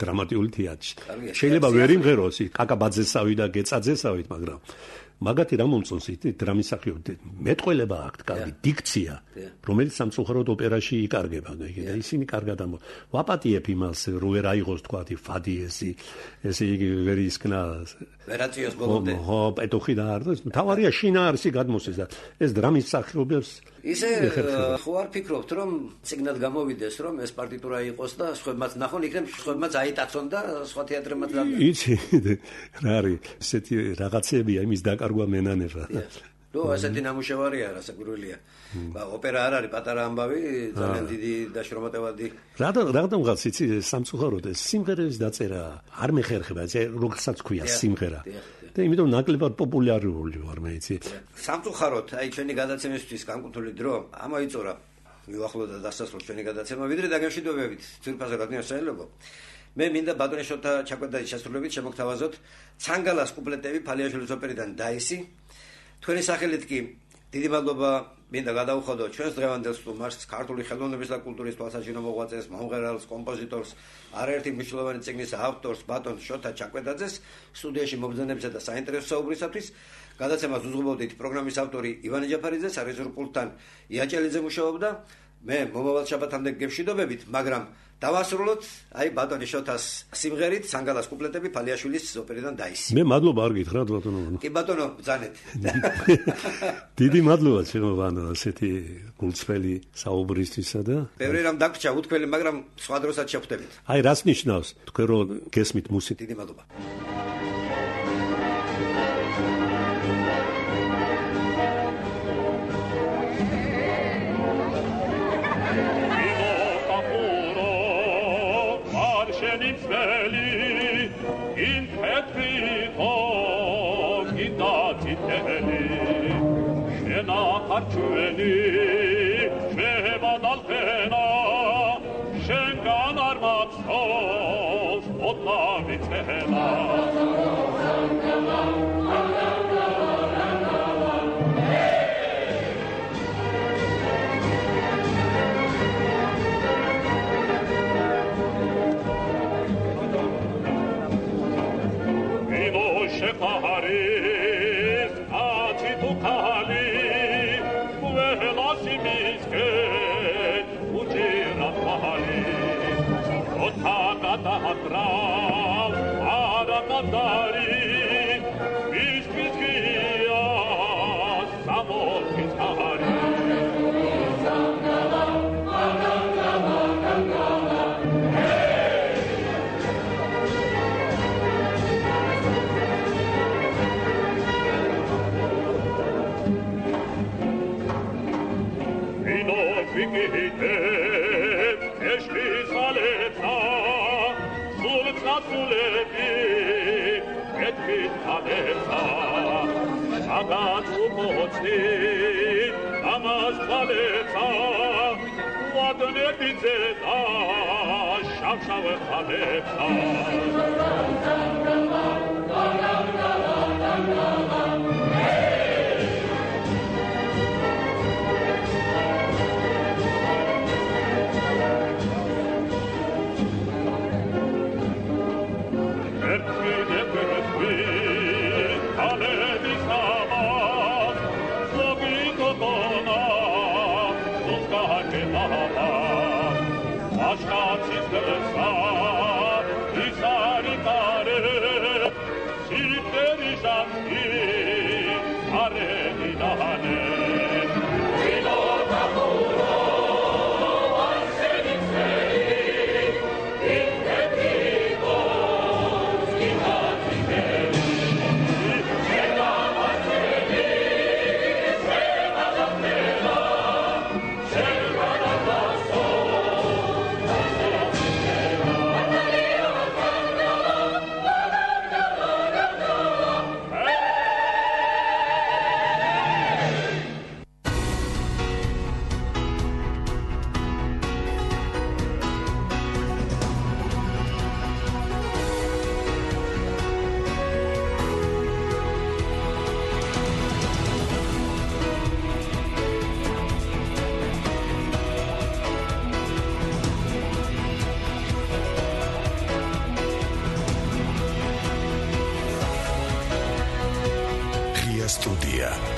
დრამატიული თეატრში. შეიძლება ვერ იმღეროს კაკაბაძესავი და გეწაძესავით, მაგრამ მაგათი რა მომწონს ითი დრამისახიობი მეტყველება აქვს კარგი დიქცია რომელიც სამწუხაროდ ოპერაში იკარგება და ისინი კარგად ვაპატიებ იმას რომ ვერ აიღოს თქვათი ფადი ესე იგი ვერ ისკნა ვერაციოს ბოლომდე ხო პეტოხი და არ თავარია შინაარსი გადმოსეს და ეს დრამისახიობებს ისე ხო არ ფიქრობთ რომ ციგნად გამოვიდეს რომ ეს პარტიტურა იყოს და სხვებმაც ნახონ იქნებ სხვებმაც აიტაცონ და სხვა თეატრებმაც იცი რა არის ესეთი რაღაცებია იმის დაკარგვა მენანება ნუ ასეთი ნამუშევარია რასაკვირველია ოპერა არ არის პატარა ამბავი ძალიან დიდი დაშრომატევადი რადგანაც იცი სამწუხაროდ ეს სიმღერების დაწერა არ მეხერხება როგორცაც ქვია სიმღერა და იმიტომ ნაკლებად პოპულარული ვარ მე იცი სამწუხაროდ აი ჩვენი გადაცემისთვის განკუთვნილი დრო ამოიწურა მიუახლოვდა დასასრულს ჩვენი გადაცემა ვიდრე დაგემშვიდობებით ძვირფასო რადიო საელობო მე მინდა ბატონი შოთა ჩაკვეტაძის შესრულებით შემოგთავაზოთ ცანგალას კუპლეტები ფალიაშვილის ოპერიდან დაისი თქვენი სახელით კი დიდი მადლობა მინდა გადაუხადო ჩვენს დღევანდელ სტუმარს ქართული ხელოვნების და კულტურის თვალსაჩინო მოღვაწეს მომღერალს კომპოზიტორს არაერთი მნიშვნელოვანი წიგნის ავტორს ბატონ შოთა ჩაკვეტაძეს სტუდიაში მობრძანებისა და საინტერესო საუბრისათვის გადაცემას უძღვებოდით პროგრამის ავტორი ივანე ჯაფარიძე სარეჟისორო პულტთან იაჭელიძე მუშაობდა მე მომავალ შაბათამდე გემშვიდობებით მაგრამ დავასრულოთ აი ბატონი შოთას სიმღერით სანგალას კუპლეტები ფალიაშვილის ოპერიდან დაისი მე მადლობა არ გითხრათ ბატონო კი ბატონო ბრძანეთ დიდი მადლობა ჩემო ასეთი გულწრფელი საუბრისთვისა და ბევრი რამ დაგვრჩა უთქველი მაგრამ სხვა დროსაც შევხვდებით აი რას ნიშნავს თქვენ რომ გესმით მუსიკა დიდი მადლობა Arçueni, şehbadalfena, şengan armakstos, odla bitena. Vino şefaharis, ati tukali, Tahatrav, Arakadari, Vishkishkiya, Samotkitari. Vino fikite, eşli saleta, Suleti, et adesa, sagat umotsi, amas paleta, wadne bizeta, shavshave paleta. Студия.